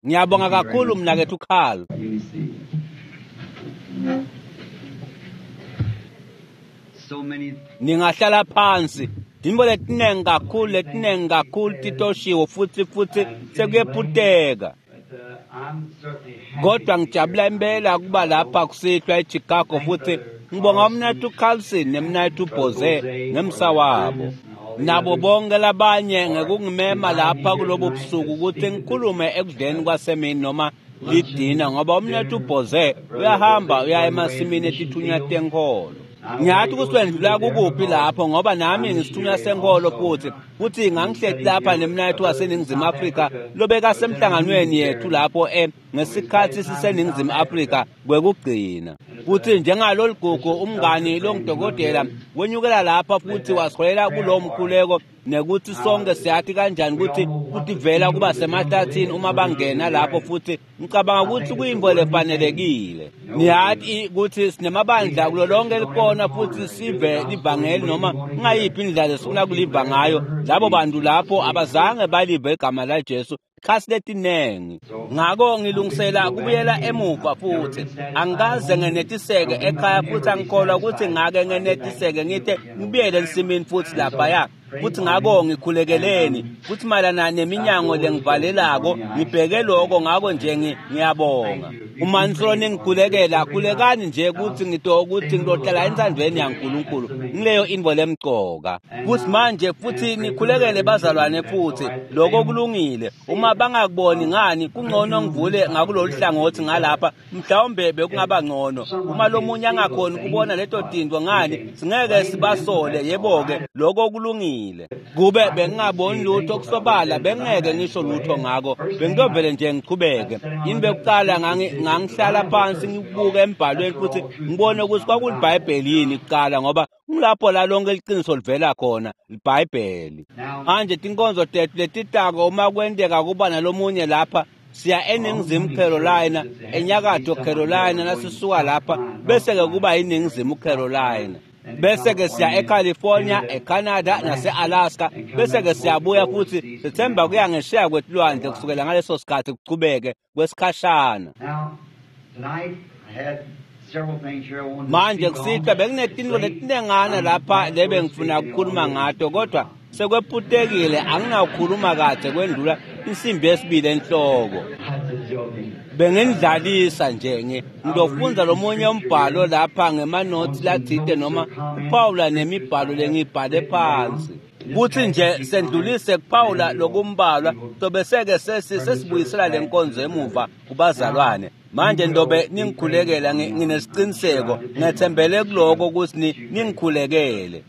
Ngiyabonga kakhulu mnaketfu Carl. Ningahlala phansi. Tintfo letinengi kakhulu, letinengi kakhulu titoshiwo futhi futhi sekuyephuteka. Kodwa ngijabula impela kuba lapha kusihlwa eChicago futhi ngibonga umnaketfu Carlson nemnaketfu Boze ngemsa wabo. Nabo bonke labanye ngekungimema lapha kulobu busuku ukuthi ngikhulume ekudleni kwasemini noma lidina, ngoba umnaketfu Boze uyahamba uya emasimini etithunywa tenkholo. Ngiyathi ukuthi wendlula kukuphi lapho, ngoba nami ngisithunywa senkholo futhi futhi ngangihleti lapha nemnaketfu waseNingizimu Afrika lobekasemhlanganweni yethu lapho ngesikhathi siseNingizimu Afrika kwekugcina. Futhi njengalolu gugu umngani longudokotela wenyukela lapha futhi wasiholela kulowo mkhuleko, nekuthi sonke siyathi kanjani ukuthi kutivela kuba semahlathini uma bangena lapho, futhi ngicabanga ukuthi kuyintfo lefanelekile. Niyathi ukuthi sinemabandla kulo lonke likona futhi sive livangeli noma kungayiphi indlela lesifuna kuliva ngayo. Labo bantu lapho abazange balive igama laJesu khasi letinengi. Ngako ngilungisela kubuyela emuva futhi angikaze ngenetiseke ekhaya, futhi angikholwa ukuthi ngake ngenetiseke ngithe ngibuyele ensimini futhi laphaya. Futhi ngako ngikhulekeleni futhi mayelana neminyango lengivalelako ngibheke lokho. Ngako nje ngiyabonga uma nisolo ningikhulekela, khulekani nje ukuthi ngitokuthi ngilohlala entsandvweni yaNkulunkulu ngileyo intfo lemcoka. Futhi manje futhi nikhulekele bazalwane futhi lokho kulungile. Uma bangakuboni ngani, kungcono ngivule ngakulolu hlangothi ngalapha, mhlawumbe bekungaba ngcono. Uma lomunye angakhoni kubona leto tintfo ngani, singeke sibasole. Yebo-ke, lokho kulungile. Kube bengingaboni lutho kusobala, bengingeke ngisho lutho ngako, bengitovele nje ngichubeke. Yini bekuqala ngangihlala phansi ngibuke embhalweni futhi ngibone ukuthi kwakuliBhayibheli yini kuqala, ngoba ngilapho la lonke iqiniso livela khona, iBhayibheli. Manje tinkonzo tethu letitako uma kwenteka kuba nalomunye lapha, siya eNingizimu Carolina, eNyakatfo Carolina nasisuka lapha, bese-ke kuba yiNingizimu Carolina. Bese-ke siya eCalifornia, eCanada nase-Alaska, bese-ke siyabuya futhi sithemba kuya ngesheya kwetilwandle kusukela ngaleso sikhathi kuchubeke kwesikhashana. Manje kusihlwa benginetintfo letinengana lapha lebengifuna ukukhuluma ngato, kodwa sekwephutekile, anginawukhuluma kahle kwendlula insimbi yesibili enhloko. Bengindlalisa nje ngitofundza lomunye umbhalo lapha ngemanothi lathite noma kuphawula nemibhalo lengiyibhale phansi. Kuthi nje sendlulise kuphawula lokumbalwa, tobeseke sesibuyisela lenkonzo emuva kubazalwane. Manje ndobe ningikhulekela, nginesiqiniseko, ngethembele kuloko ukuthi ningikhulekele.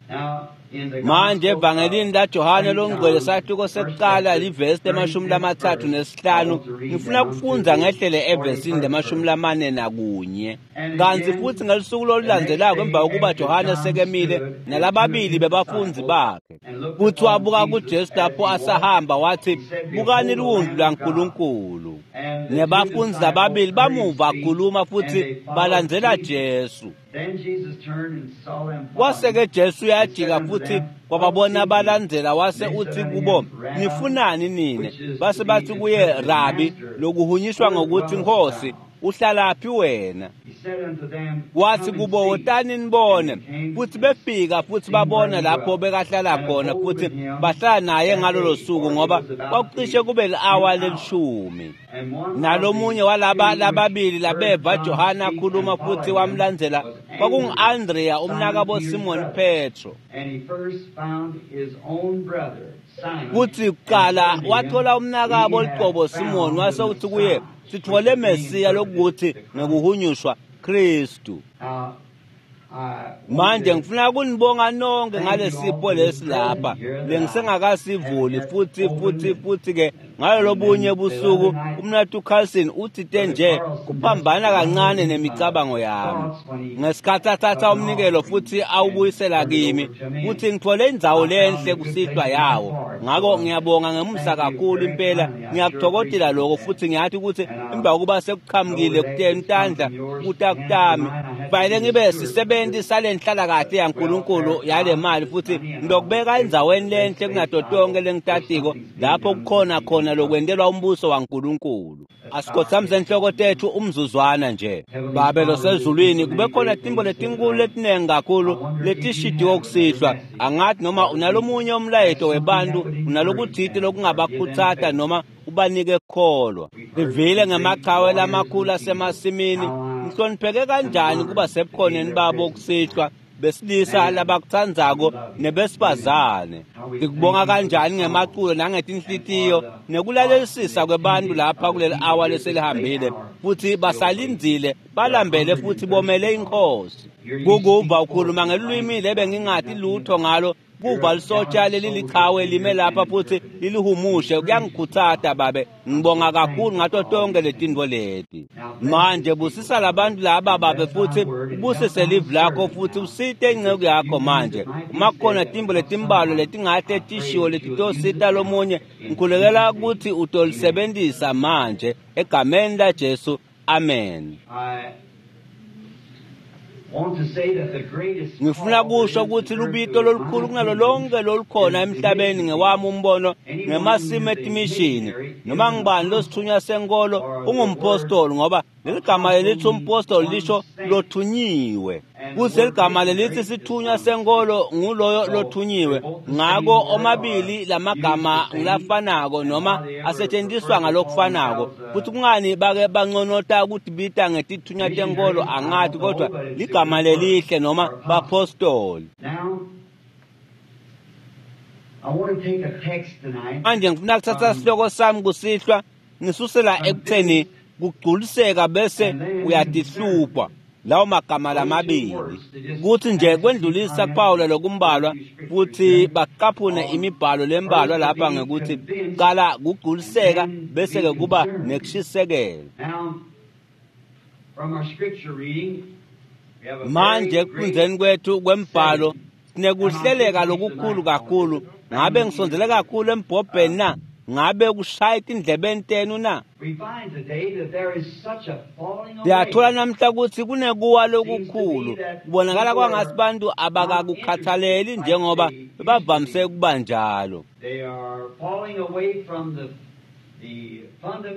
Manje evangelini laJohane longcwele sahluko sekuqala livesi le-35, ngifuna ukufundza ngehlele evesini le-41. Kanti futhi ngelusuku lolulandzelako emva kokuba Johane sekemile nalababili bebafundzi bakhe, futhi wabuka kuJesu lapho asahamba wathi, "Bukani liwundlu laNkulunkulu." Nebafundzi lababili bamuva akhuluma futhi balandzela Jesu. Kwase-ke Jesu uyajika futhi kwababona balandzela, wase uthi kubo, "Nifunani nine?" Base bathi kuye, "Rabi," lokuhunyishwa ngokuthi Nkosi, uhlalaphi wena? Wathi kubo, "Wotani nibone." Futhi befika futhi babona lapho bekahlala khona, futhi bahlala naye ngalolo suku, ngoba kwakucishe kube li-awa lelishumi. Nalomunye walaba lababili labeva Johane akhuluma futhi wamlandzela kwakungu-Andrea umnakabo Simon Petro. Kuthi kuqala wathola umnakabo liqobo Simon, wase uthi kuye, "Sithole Mesiya," lokuthi ngekuhunyushwa Kristu. Manje ngifuna kunibonga nonke ngalesipho lesi lapha lengisengakasivuli futhi futhi futhi ke ngalolobunye busuku umnathu Carlson uthite nje kuphambana kancane nemicabango yami ngesikhathi athatha umnikelo futhi awubuyisela kimi, futhi ngithole indzawo lenhle kusihlwa yawo. Ngako ngiyabonga ngemusa kakhulu impela, ngiyakuthokozela lokho, futhi ngiyathi ukuthi emva kokuba sekuqhamukile kuteni tandla kutakutami kufanele ngibe sisebenzi sale nhlalakahle yaNkulunkulu yale mali, futhi ngilokubeka endzaweni lenhle kunato tonke lengitatiko lapho kukhona khona khona lokwentelwa umbuso waNkulunkulu. Asikhothamise inhloko tethu umzuzwana nje. Babe losezulwini, kube khona tintfo letinkulu letinengi kakhulu letishidiwe kusihlwa. Angathi noma unalomunye umlayeto webantu, unalokutsite lokungabakhutsata noma ubanike kukholwa. Sivile ngemachawe lamakhulu asemasimini. Ngihlonipheke kanjani kuba sebukhoneni babo kusihlwa, besilisa labakutsandzako nebesifazane. Ngikubonga kanjani ngemaculo nangetinhlitiyo nekulalelisisa kwebantu lapha kuleli awa leselihambile, futhi basalindzile, balambele futhi bomele iNkhosi. Kukuva ukhuluma ngelulwimi lebengingati lutho ngalo, kuva lisotsha lelilichawe lime lapha futhi lilihumushe, kuyangikhutsata Babe. Ngibonga kakhulu ngato tonke letintfo leti. Manje busisa labantu laba Babe, futhi ubusise livi lakho, futhi usite inceku yakho manje. Uma kukhona tintfo letimbalwa letingahle tishiwo letitosita lomunye, ngikhulekela ukuthi utolisebentisa manje egameni laJesu. Amen. Ngifuna kusho ukuthi lubito lolukhulu kunalo lonke lolukhona emhlabeni ngewami umbono ngemasimo etimishini. Noma ngibani losithunywa senkolo ungumpostoli, ngoba leli gama lelithi umpostoli lisho lothunyiwe. Kuze ligama lelithi sithunywa senkolo nguloyo lothunyiwe. Ngako omabili lamagama ngilafanako noma asetshenziswa ngalokufanako. Futhi kungani bake banconota ukutibita ngetithunywa tenkolo angathi, kodwa ligama lelihle noma bapostoli. Manje ngifuna kuthatha sihloko sami kusihlwa ngisusela ekutheni kugculiseka bese uyatihlupha. Lawo magama lamabili kuthi nje kwendlulisa kuPawula lokumbalwa, futhi baqaphune imibhalo lembalwa lapha ngekuthi qala kugculiseka bese ke kuba nekushisekela. Manje ekufundzeni kwethu kwembhalo sinekuhleleka lokukhulu kakhulu. Ngabe ngisondzele kakhulu embhobheni na? Ngabe kushaya etindlebeni tenu na? Siyathola namhla ukuthi kunekuwa lokukhulu. Kubonakala kwangathi bantu abakakukhathaleli njengoba bebavamise ukuba njalo.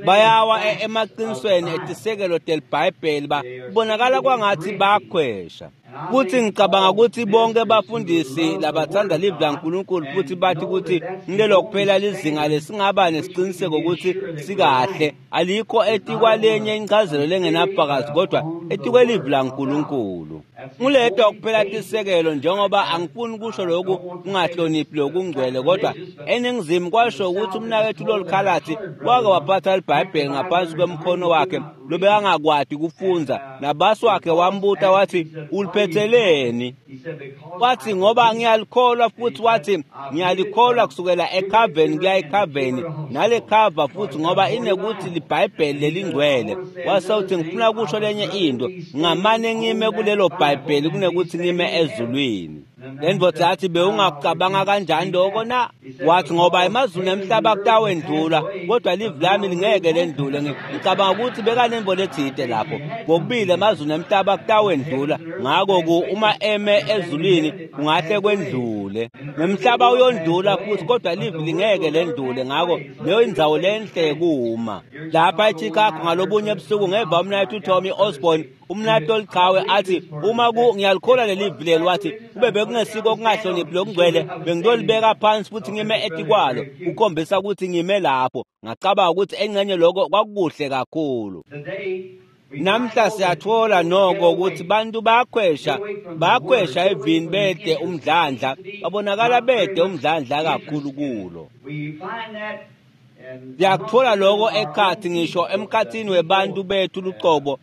Bayawa emaqinisweni etisekelo telibhayibheli, kubonakala kwangathi bayakhwesha. Futhi ngicabanga ukuthi bonke bafundisi labathanda livi laNkulunkulu futhi bathi ukuthi ngilelo kuphela lizinga lesingaba nesiciniseko ukuthi sikahle, alikho etikwalenye incazelo lengenabufakazi kodwa etikwelivi laNkulunkulu. Nguledwa kuphela tisekelo, njengoba angifuni kusho lokhu kungahloniphi lokungcwele, kodwa eningizimu kwasho ukuthi umnakethu lolukhalathi wake waphatha libhayibheli ngaphansi kwemkhono wakhe lobekangakwati kufundza, nabasi wakhe wambuta wathi, uliphetheleni? Wathi, ngoba ngiyalikholwa. Futhi wathi, ngiyalikholwa kusukela ekhaveni kuya ekhaveni nale khava, futhi ngoba inekuthi libhayibheli lelingcwele. Wase uthi, ngifuna kusho lenye into, ngamane ngime kulelo bhayibheli kunekuthi ngime ezulwini. Le ndvodza yathi, bewungakucabanga kanjani lokho na? Wathi, ngoba emazulu nemhlaba kutawendlula, kodwa livi lami lingeke lendlule. Ngicabanga ukuthi bekanembo letsite lapho. Kokubili emazulu nemhlaba kutawendlula, ngako uma eme ezulwini kungahle kwendlule. Nemhlaba uyondlula futhi, kodwa livi lingeke lendlule. Ngako leyo indzawo lenhle kuma. Lapha eChicago ngalobunye ebusuku ngeva umnaketfu Tommy Osborne, umnaketfu olichawe, athi, uma ngiyalikholwa leli livi leli, wathi, kube bekungesiko okungahloniphi lokungcwele, bengiyolibeka phansi futhi ngime etikwalo, kukhombisa ukuthi ngime lapho. Ngacabanga ukuthi engxenye lokho kwakukuhle kakhulu. Namhla siyathola noko ukuthi bantu bayakhwesha evini bede umdlandla, babonakala bede umdlandla kakhulu kulo. Siyakuthola lokho ekhathi ngisho emkhathini webantu bethu lucobo,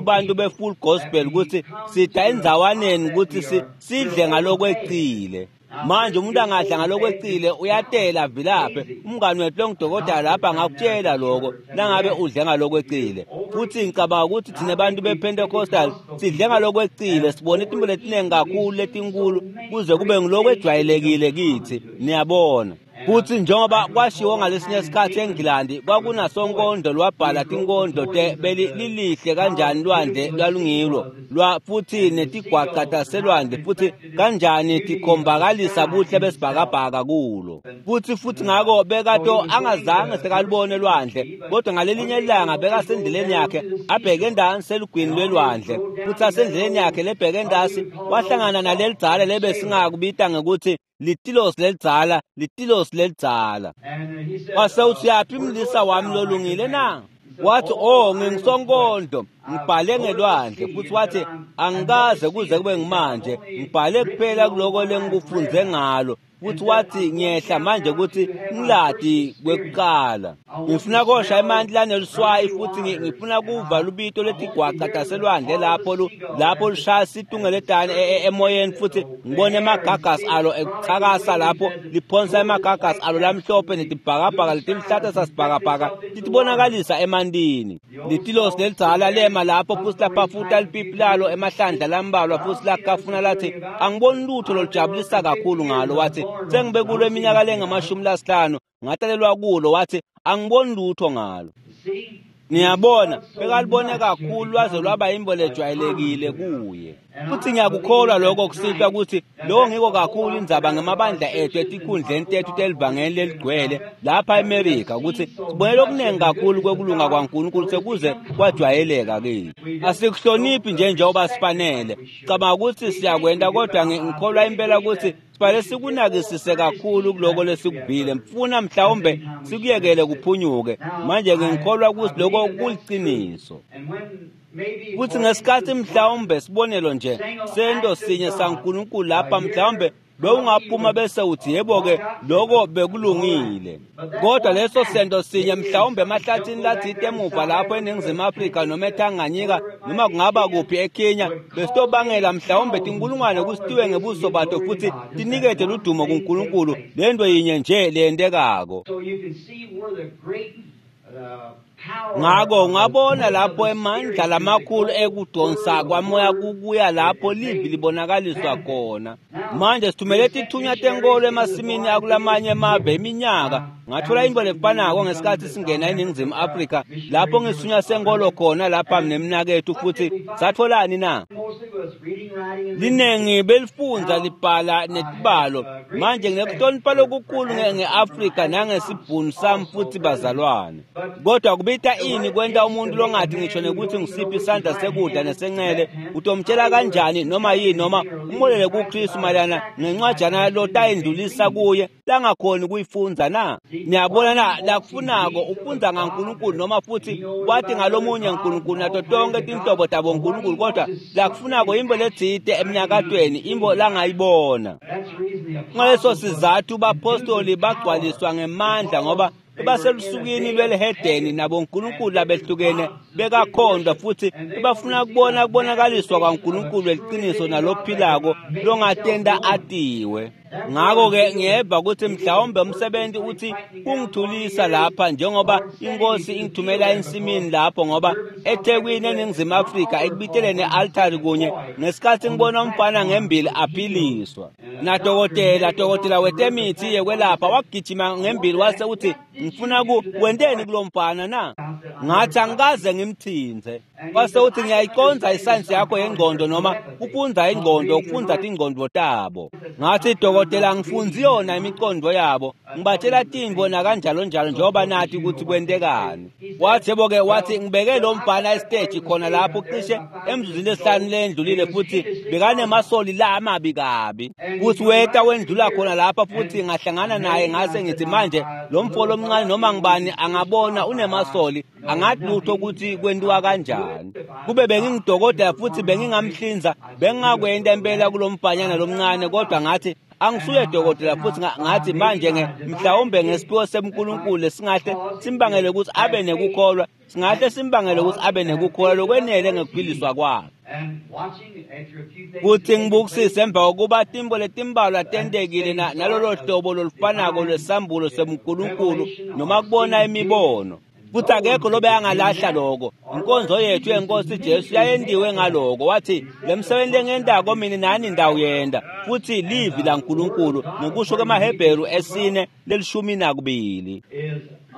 bantu be-full gospel, ukuthi sida endzawaneni ukuthi sidle ngalokwecile. Manje umuntu angadla ngalokwecile uyatela vilaphe. Umngani wethu longudokotela lapha angakutshela lokho nangabe udle ngalokwecile. Futhi ngicabanga ukuthi thina bantu bePentecostal sidle ngalokwecile, sibone itinto letiningi kakhulu letinkulu kuze kube ngilokwejwayelekile kithi. Niyabona. Futhi njengoba kwashiwo ngalesinye isikhathi eNgilandi, kwakunasonkondlo lwabhala tinkondlo te beli lilihle kanjani lwandle lwalungilo lwa futhi netigwaca taselwandle futhi kanjani tikhombakalisa buhle besibhakabhaka kulo. Futhi ngako bekato angazange sekalubone lwandle, kodwa ngalelinye ilanga bekasendleleni yakhe abheke endansi elugwini lwelwandle, futhi asendleleni yakhe lebheke endasi wahlangana nalelidzala lebesingakubita ngekuthi litilos lelidzala, litilos lelidzala. Wase uthi, yaphi mlisa wami lolungile na? Wathi, oh, ngingisonkondlo, ngibhale ngelwandle. Futhi wathi, angikaze kuze kube ngimanje, ngibhale kuphela kuloko lengikufunze ngalo. Futhi wathi, ngiyehla manje ukuthi ngiladi kwekuqala. Ngifuna kosha emanti laneluswayi futhi ngifuna kuva lubito letigwaca taselwandle lapho lapho lushaya situngeletane emoyeni, futhi ngibone emagagasi alo ekuchakasa lapho liphonsa emagagasi alo lamhlophe netibhakabhaka letiluhlata sasibhakabhaka titibonakalisa emantini. Litilosi lelidzala lema lapho futhi laphafuta lipipi lalo emahlandla lambalwa futhi lakafuna lathi, angiboni lutho lolujabulisa kakhulu ngalo. Wathi, sengibe kulo iminyaka lengamashumi lasihlanu, ngatalelwa kulo. Wathi, angiboni lutho ngalo. Niyabona, bekalibone kakhulu lwaze lwaba imbo lejwayelekile kuye. Futhi ngiyakukholwa lokho kusihlwa ukuthi lokho ngiko kakhulu indzaba ngemabandla ethu etikhundleni tethu telivangeli leligcwele lapha eMerika, ukuthi sibonele okuningi kakhulu kwekulunga kwaNkulunkulu sekuze kwajwayeleka kithi. Asikuhloniphi nje njengoba sifanele. Cabanga ukuthi siyakwenta, kodwa ngikholwa impela ukuthi sifanele sikunakisise kakhulu kuloko lesikuvile, mfuna mhlawumbe sikuyekele kuphunyuke. Manje ngikholwa ukuthi lokho kuliciniso. Futhi ngesikhathi mhlawumbe sibonelo nje sento sinye saNkulunkulu lapha, mhlawumbe bewungaphuma bese uthi, yebo-ke, lokho bekulungile, kodwa leso sento sinye mhlawumbe emahlathini lathite emuva lapho eNingizimu Afrika noma eTanganyika noma kungaba kuphi eKenya, besitobangela mhlawumbe tinkulungwane kusitiwe ngebuso bato futhi tinikete ludumo kuNkulunkulu. Lento yinye nje leyentekako. Ngako ungabona lapho emandla lamakhulu ekudonsa kwamoya kukuya lapho livi libonakaliswa khona. Manje sithumele tithunywa tenkolo emasimini akulamanye emave iminyaka. Ngathola into lefanako ngesikhathi singena eNingizimu Afrika lapho ngisithunywa senkolo khona lapha nemnakethu, futhi satholani na? Linengi belifundza libhala netibalo. Manje nginekuhlonipha lokukhulu nge-Afrika nangesibhunu sami futhi bazalwane, kodwa kubita ini kwenta umuntu longathi ngisho nekuthi ngisiphi isandla sekudla nesencele? Utomtshela kanjani noma yini noma umolele kuKristu mayelana ngencwajana lotayindlulisa kuye langakhoni kuyifundza na? Niyabona na, lakufunako ufundza ngaNkulunkulu noma futhi wathi ngalomunye uNkulunkulu nato tonke tinhlobo tabo uNkulunkulu, kodwa lakufunako imbo letsite emnyakatweni, imbo langayibona. Ngaleso sizathu bapostoli bagcwaliswa ngemandla, ngoba baselusukwini lwelihedeni nabo uNkulunkulu labehlukene bekakhondwa, futhi bafuna kubona kubonakaliswa kwaNkulunkulu weliciniso nalophilako longatenda atiwe. Ngako-ke ngiyeva ukuthi mhlawumbe umsebenzi uthi kungithulisa lapha njengoba inkosi ingithumela ensimini lapho, ngoba eThekwini eNingizimu Afrika ekubiteleni e-altari kunye ngesikhathi ngibona umfana ngembili aphiliswa, nadokotela wetemithi yekwelapha wagijima ngembili wase uthi, ngifuna ku wenteni kulo mfana na? Ngathi, angikaze ngimthinze. Wase uthi, ngiyayiconza isayensi yakho yengqondo noma kufundza ingqondo, ukufundza tingqondo tabo. Ngathi, dokotela, ngifundzi yona imicondo yabo, ngibatshela tintfo nakanjalo njalo njengoba nathi ukuthi kwentekani. Wathi, yebo-ke, wathi, ngibeke lo mfana esiteji khona lapho cishe emzuzwini lesihlanu lendlulile, futhi bekanemasoli la amabi kabi, futhi weta wendlula khona lapha futhi ngahlangana naye. Ngase ngithi, manje lo mfo lomncane noma ngibani angabona unemasoli, angathi lutho ukuthi kwentiwa kanjani. Kube bengingidokotela futhi bengingamhlinza, bengingakwenta impela kulo mfanyana lomncane, kodwa ngathi, angisuye dokotela. Futhi ngathi, manje mhlawumbe ngesiphiwo seMkulunkulu lesingahle simbangele ukuthi abe nekukholwa, singahle simbangele ukuthi abe nekukholwa lokwenele ngekuphiliswa kwakhe. Kuthi ngibukisise emva kokuba timbo letimbalwa tentekile nalolo hlobo lolufanako lwesambulo sebuNkulunkulu noma kubona imibono. Futhi akekho lobe angalahla lokho. Inkonzo yethu yenkosi Jesu yayendiwe ngaloko. Wathi le msebenzi lengiyentako mina nani ndawuyenda. Futhi livi laNkulunkulu ngokusho kwemaHebheru 4 12.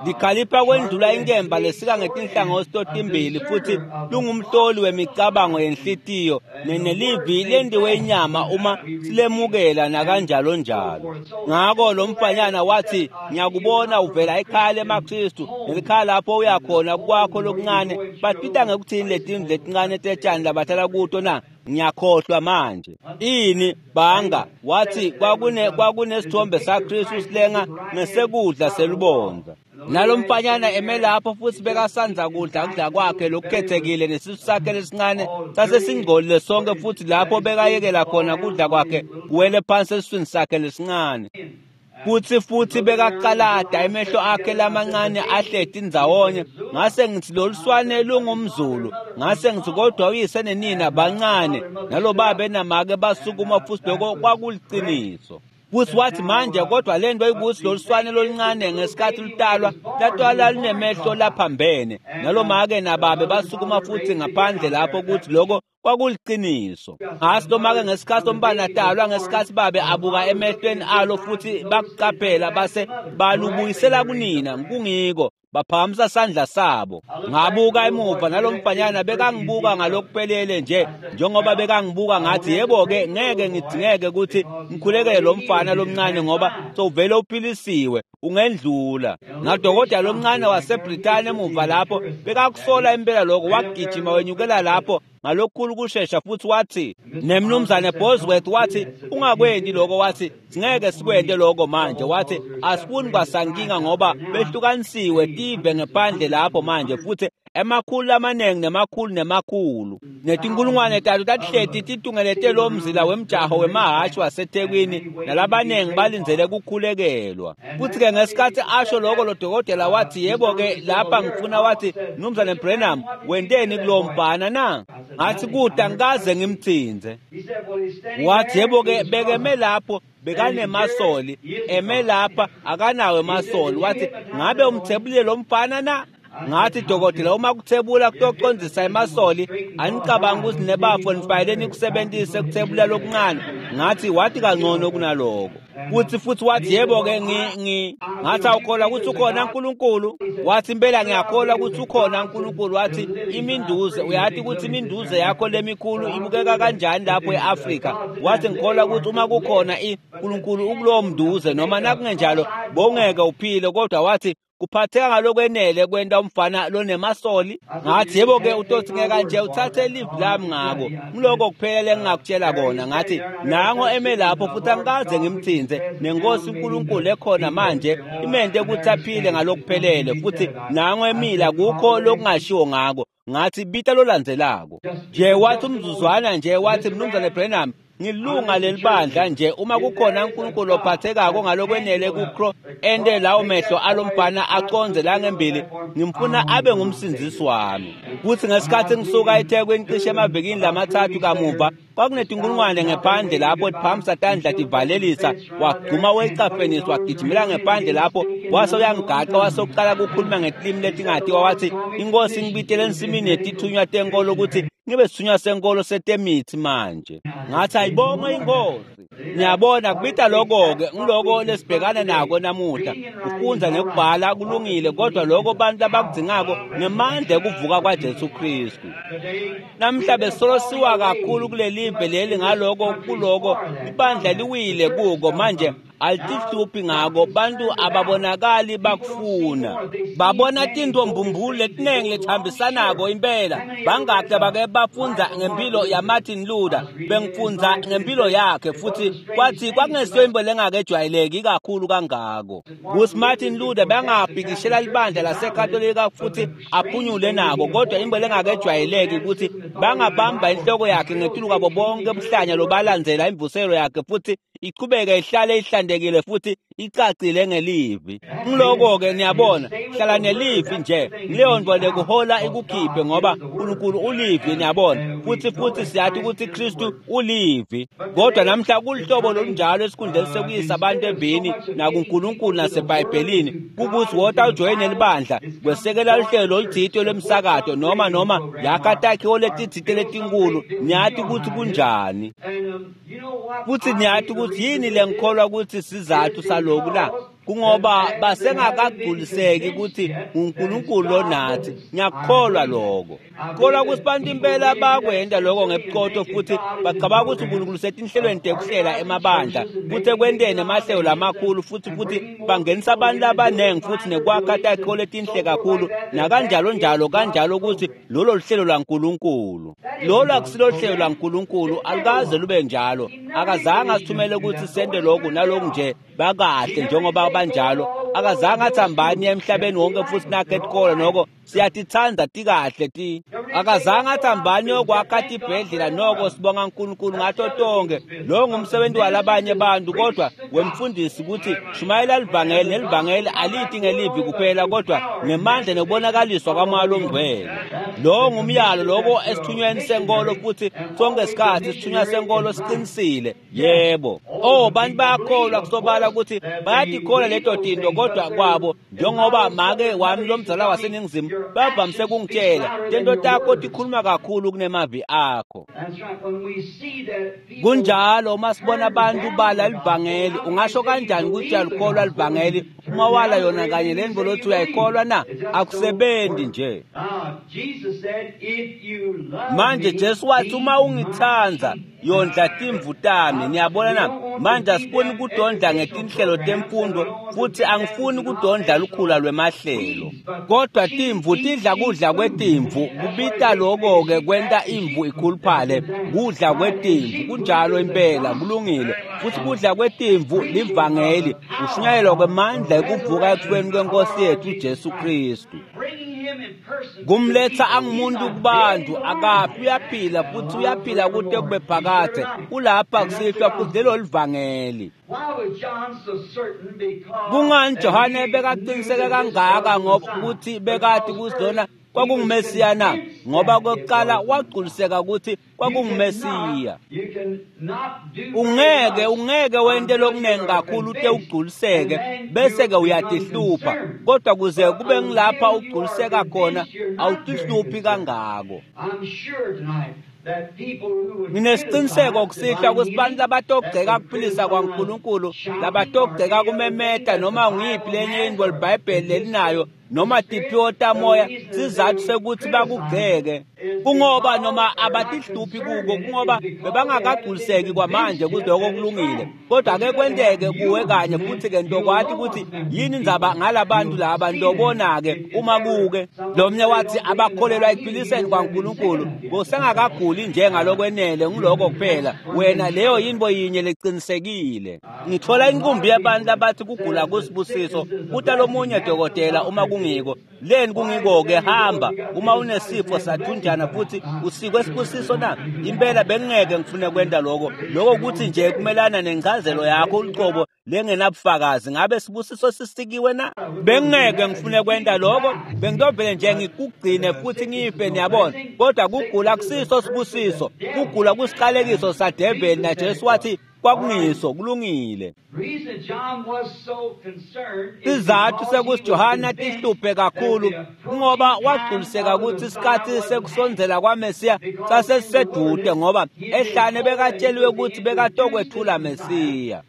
Likhalipha kwendlula inkemba lesika ngetinhlangothi totimbili futhi lungumhloli wemicabango yenhlitiyo nelivi lendiwe inyama uma silemukela nakanjalo njalo. Ngako lo mfanyana wathi ngiyakubona uvela ekhaya lemaKristu nelikhaya lapho uyakhona kwakho lokuncane batita ngekuthini letindlu letincane tetshani labahlala kuto na? Ngiyakhohlwa manje. Ini banga wathi kwakunesithombe saKristu silenga ngesekudla selubonza. Nalomfanyana eme lapho futhi bekasanza kudla kudla kwakhe lokukhethekile nesisu sakhe lesincane sasesingcolile sonke futhi lapho bekayekela khona kudla kwakhe kuwele phansi esiswini sakhe lesincane. Futhi bekaqalada emehlo akhe lamancane ahleti ndzawonye. Ngase ngithi loluswane lungumZulu. Ngase ngithi kodwa uyise nenina bancane nalobabe enamake basukuma futhi lokho kwakuliciniso. Futhi wathi manje kodwa lento ikuthi loluswane loluncane ngesikhathi lutalwa latwala lunemehlo laphambene nalomake nababe basukuma futhi ngaphandle lapho kuthi lokho kwakuliciniso. Ngasi lomake ngesikhathi lombana talwa ngesikhathi babe abuka emehlweni alo futhi bakuqaphela base balubuyisela kunina kungiko baphakamisa sandla sabo. Ngabuka emuva nalomfanyana bekangibuka ngalokuphelele nje njengoba bekangibuka ngathi yebo-ke ngeke ngidingeke ukuthi ngikhulekele lo mfana lomncane ngoba sowuvele uphilisiwe ungendlula. Ngadokotela lomncane waseBritane emuva lapho bekakusola impela lokho wagijima wenyukela lapho ngalokukhulu kushesha futhi wathi nemnumzane Bosworth wathi ungakwendi lokho wathi singeke sikwente lokho manje wathi asifuni kwasankinga ngoba behlukanisiwe tive ngephandle lapho manje futhi emakhulu amaningi nemakhulu nemakhulu netinkulungwane talo tatihleti titungelete lo mzila wemjaho wemahhashi waseThekwini nalabaningi balindzele kukhulekelwa. Futhi-ke ngesikhathi asho lokho lo dokotela wathi yebo-ke lapha ngifuna wathi Mnumzane Branham wenteni kulowo mfana na? Ngathi kude angikaze ngimthinze. Wathi yebo-ke bekeme lapho bekanemasoli eme lapha akanawo emasoli. Wathi ngabe umthebulile lo mfana na? Ngathi dokotela uma kuthebula kutocondzisa emasoli anicabanga ukuthi nebafo nifanele nikusebenzise kuthebula lokuncane. Ngathi wathi kangcono kunaloko. Futhi wathi yebo-ke ngathi awukholwa ukuthi ukhona uNkulunkulu. Wathi impela ngiyakholwa ukuthi ukhona uNkulunkulu. Wathi iminduze uyathi ukuthi iminduze yakho lemikhulu ibukeka kanjani lapho e-Afrika. Wathi ngikholwa ukuthi uma kukhona uNkulunkulu ukulowo mnduze noma nakungenjalo bongeke uphile kodwa wathi kuphatheka ngalokwenele kwenta umfana lonemasoli. Ngathi yebo-ke utothi ngeka nje uthathe live lami ngako ngiloko kuphela lengingakutshela kona. Ngathi nango eme lapho futhi angikaze ngimthinze nenkosi uNkulunkulu ekhona manje imente ukuthi aphile ngalokuphelele futhi nango emila kukho lokungashiwo ngako. Ngathi bita lolandzelako nje. Wathi umzuzwana nje wathi Mnumzane Branham ngilunga lelibandla nje uma kukhona uNkulunkulu ophathekako ngalokwenele kukro ende lawo mehlo alomfana aconze la ngembili ngimfuna abe ngumsindzisi wami. Futhi ngesikhathi ngisuka eThekwini cishe emavikini lamathathu kamuva kwakunetinkulungwane ngephandle lapho tiphakamisa tandla tivalelisa wagcuma wecafenisi wagijimela ngephandle lapho wase uyangigaqa wase uqala kukhuluma ngetilimi letingatiwa wathi inkosi ngibitele ensimini yetithunywa tenkolo ukuthi ngibe sithunywa senkolo setemithi manje. Ngathi ayibongwe inkosi. Niyabona kubita lokho-ke ngiloko lesibhekana nako namuhla. Kufundza nekubhala kulungile kodwa lokho bantu abakudzingako ngemandla ekuvuka kwaJesu Kristu. Namhla besolo siwa kakhulu kuleli live leli ngaloko kuloko ibandla liwile kuko manje alitihluphi ngako bantu ababonakali bakufuna babona tintombumbulu letiningi lethambisanako impela. Bangakhe bake bafundza ngempilo yaMartin Luther bengifundza ngempilo yakhe futhi kwathi kwakungesiyo into lengakejwayeleki kakhulu kangako kuthi Martin Luther bangabhikishela libandla laseKatolika futhi aphunyule nako kodwa into lengakejwayeleki ukuthi bangabamba inhloko yakhe ngetulu kwabo bonke buhlanya lobalandzela imvuselo yakhe futhi ichubeke ihlale ihlantekile futhi icacile ngelivi. Ngiloko-ke niyabona, hlala nelivi nje, leyo nto lekuhola ikukhiphe ngoba uNkulunkulu ulivi, niyabona. Futhi siyathi ukuthi Kristu ulivi. Kodwa namhla kulihlobo lolunjalo esikhundleni sekuyisa abantu evini nakuNkulunkulu naseBhayibhelini, kukuthi wota ujoyine libandla kwesekela luhlelo oluthile lwemsakato noma yakha takhiwo letitsite letinkulu, niyathi ukuthi kunjani. Futhi niyathi ukuthi yini lengikholwa ukuthi sizathu saloku la, kungoba basengakagculiseki ukuthi uNkulunkulu lonathi. Ngiyakukholwa lokho. Kholwa ukuthi bantu impela bakwenda lokho ngebuqotho futhi bacabanga ukuthi uNkulunkulu setinhlelweni tekuhlela emabandla futhi ekwenteni emahlelo lamakhulu futhi bangenisa abantu abaningi futhi nekwakha takhiwo letinhle kakhulu nakanjalo njalo kanjalo ukuthi lolo luhlelo lwaNkulunkulu. Lolo akusilo hlelo lwaNkulunkulu, alukaze lube njalo. Akazange asithumele ukuthi sente lokhu naloku nje bakahle njengoba banjalo. Akazange athi hambani emhlabeni wonke futhi nakhe etikolo noko siyatithanda tikahle ti. Akazange athi hambani yokwakha tibhedlela noko sibonga uNkulunkulu ngato tonke. Lo ngumsebenzi walabanye abantu kodwa wemfundisi ukuthi shumayela livangeli, nelivangeli alithi ngelivi kuphela kodwa ngemandla nekubonakaliswa kwaMoya loNgcwele. Lo ngumyalo loko esithunyweni senkolo futhi sonke isikhathi isithunywa senkolo siqinisile. Yebo. Oh, bantu bayakholwa kusobala ukuthi bayatikholwa leto tinto kodwa kwabo njengoba make wami lomzala waseNingizimu bavamise kungitshela tento takho tikhuluma kakhulu kunemavi akho. Kunjalo uma sibona abantu bala livangeli, ungasho kanjani ukuthi uyalikholwa livangeli uma wala yona kanye le nto lothi uyayikholwa na? Akusebenzi nje. Manje Jesu wathi uma ungithanda yondla timvu tami. Niyabona na? Manje asifuni kudondla ngetinhlelo temfundo futhi angifuni kudondla lukhula lwemahlelo. Kodwa timvu tidla kudla kwetimvu, kubita lokho-ke kwenta imvu ikhuluphale, kudla kwetimvu. Kunjalo impela, kulungile. Futhi kudla kwetimvu livangeli, ushunyayelwa kwemandla ekuvuka ekufeni kwenkosi yethu uJesu Kristu. Kumletha angumuntu kubantu, akafi, uyaphila futhi uyaphila kude kube phakade. Ulapha kusihlwa futhi lelo livangeli. Kungani Johane bekaqiniseke kangaka ngoba ukuthi bekade kuzona kwakunguMesiya na? Ngoba kokuqala wagculiseka ukuthi kwakunguMesiya. Ungeke wente lokunengi kakhulu ute ugculiseke bese-ke uyatihlupha, kodwa kuze kube ngilapha ugculiseka khona awutihluphi kangako. Nginesiqiniseko kusihlwa ukuthi bantu labatogceka kuphilisa kwaNkulunkulu, labatogceka kumemeta noma nguyiphi lenye into liBhayibheli lelinayo noma tiphiwo tamoya, sizathu sekuthi bakugceke kungoba noma abatihluphi kuko, kungoba bebangakagculiseki kwamanje ukuthi lokho kulungile. Kodwa ke kwenteke kuwe kanye futhi-ke ntokwathi ukuthi yini indzaba ngalabantu laba, ntobona-ke uma kuke lo mnye wathi abakholelwa ekuphiliseni kwaNkulunkulu kusengakaguli njengalokwenele, ngiloko kuphela. Wena leyo yinto yinye leqinisekile. Ngithola inkumbi yabantu abathi kugula kusibusiso, kuta lomunye dokotela uma kungiko leni kungiko-ke hamba uma unesifo sathunjana futhi usikwe sibusiso na? Impela bengingeke ngifune kwenta lokho. Lokho ukuthi nje kumelana nencazelo yakho uliqobo lengenabufakazi. Ngabe sibusiso sisikiwe na? Bengingeke ngifune kwenta lokho, bengidovele nje ngikugcine futhi ngife, niyabona. Kodwa kugula kusiso sibusiso, kugula kusiqalekiso sadeveli, na Jesu wathi kwakungiso, kulungile. Sizathu sekuthi Johana tihluphe kakhulu ngoba wagculiseka ukuthi isikhathi sekusondzela kwaMesiya sasesisedude, ngoba ehlane bekatsheliwe ukuthi bekatokwethula Mesiya.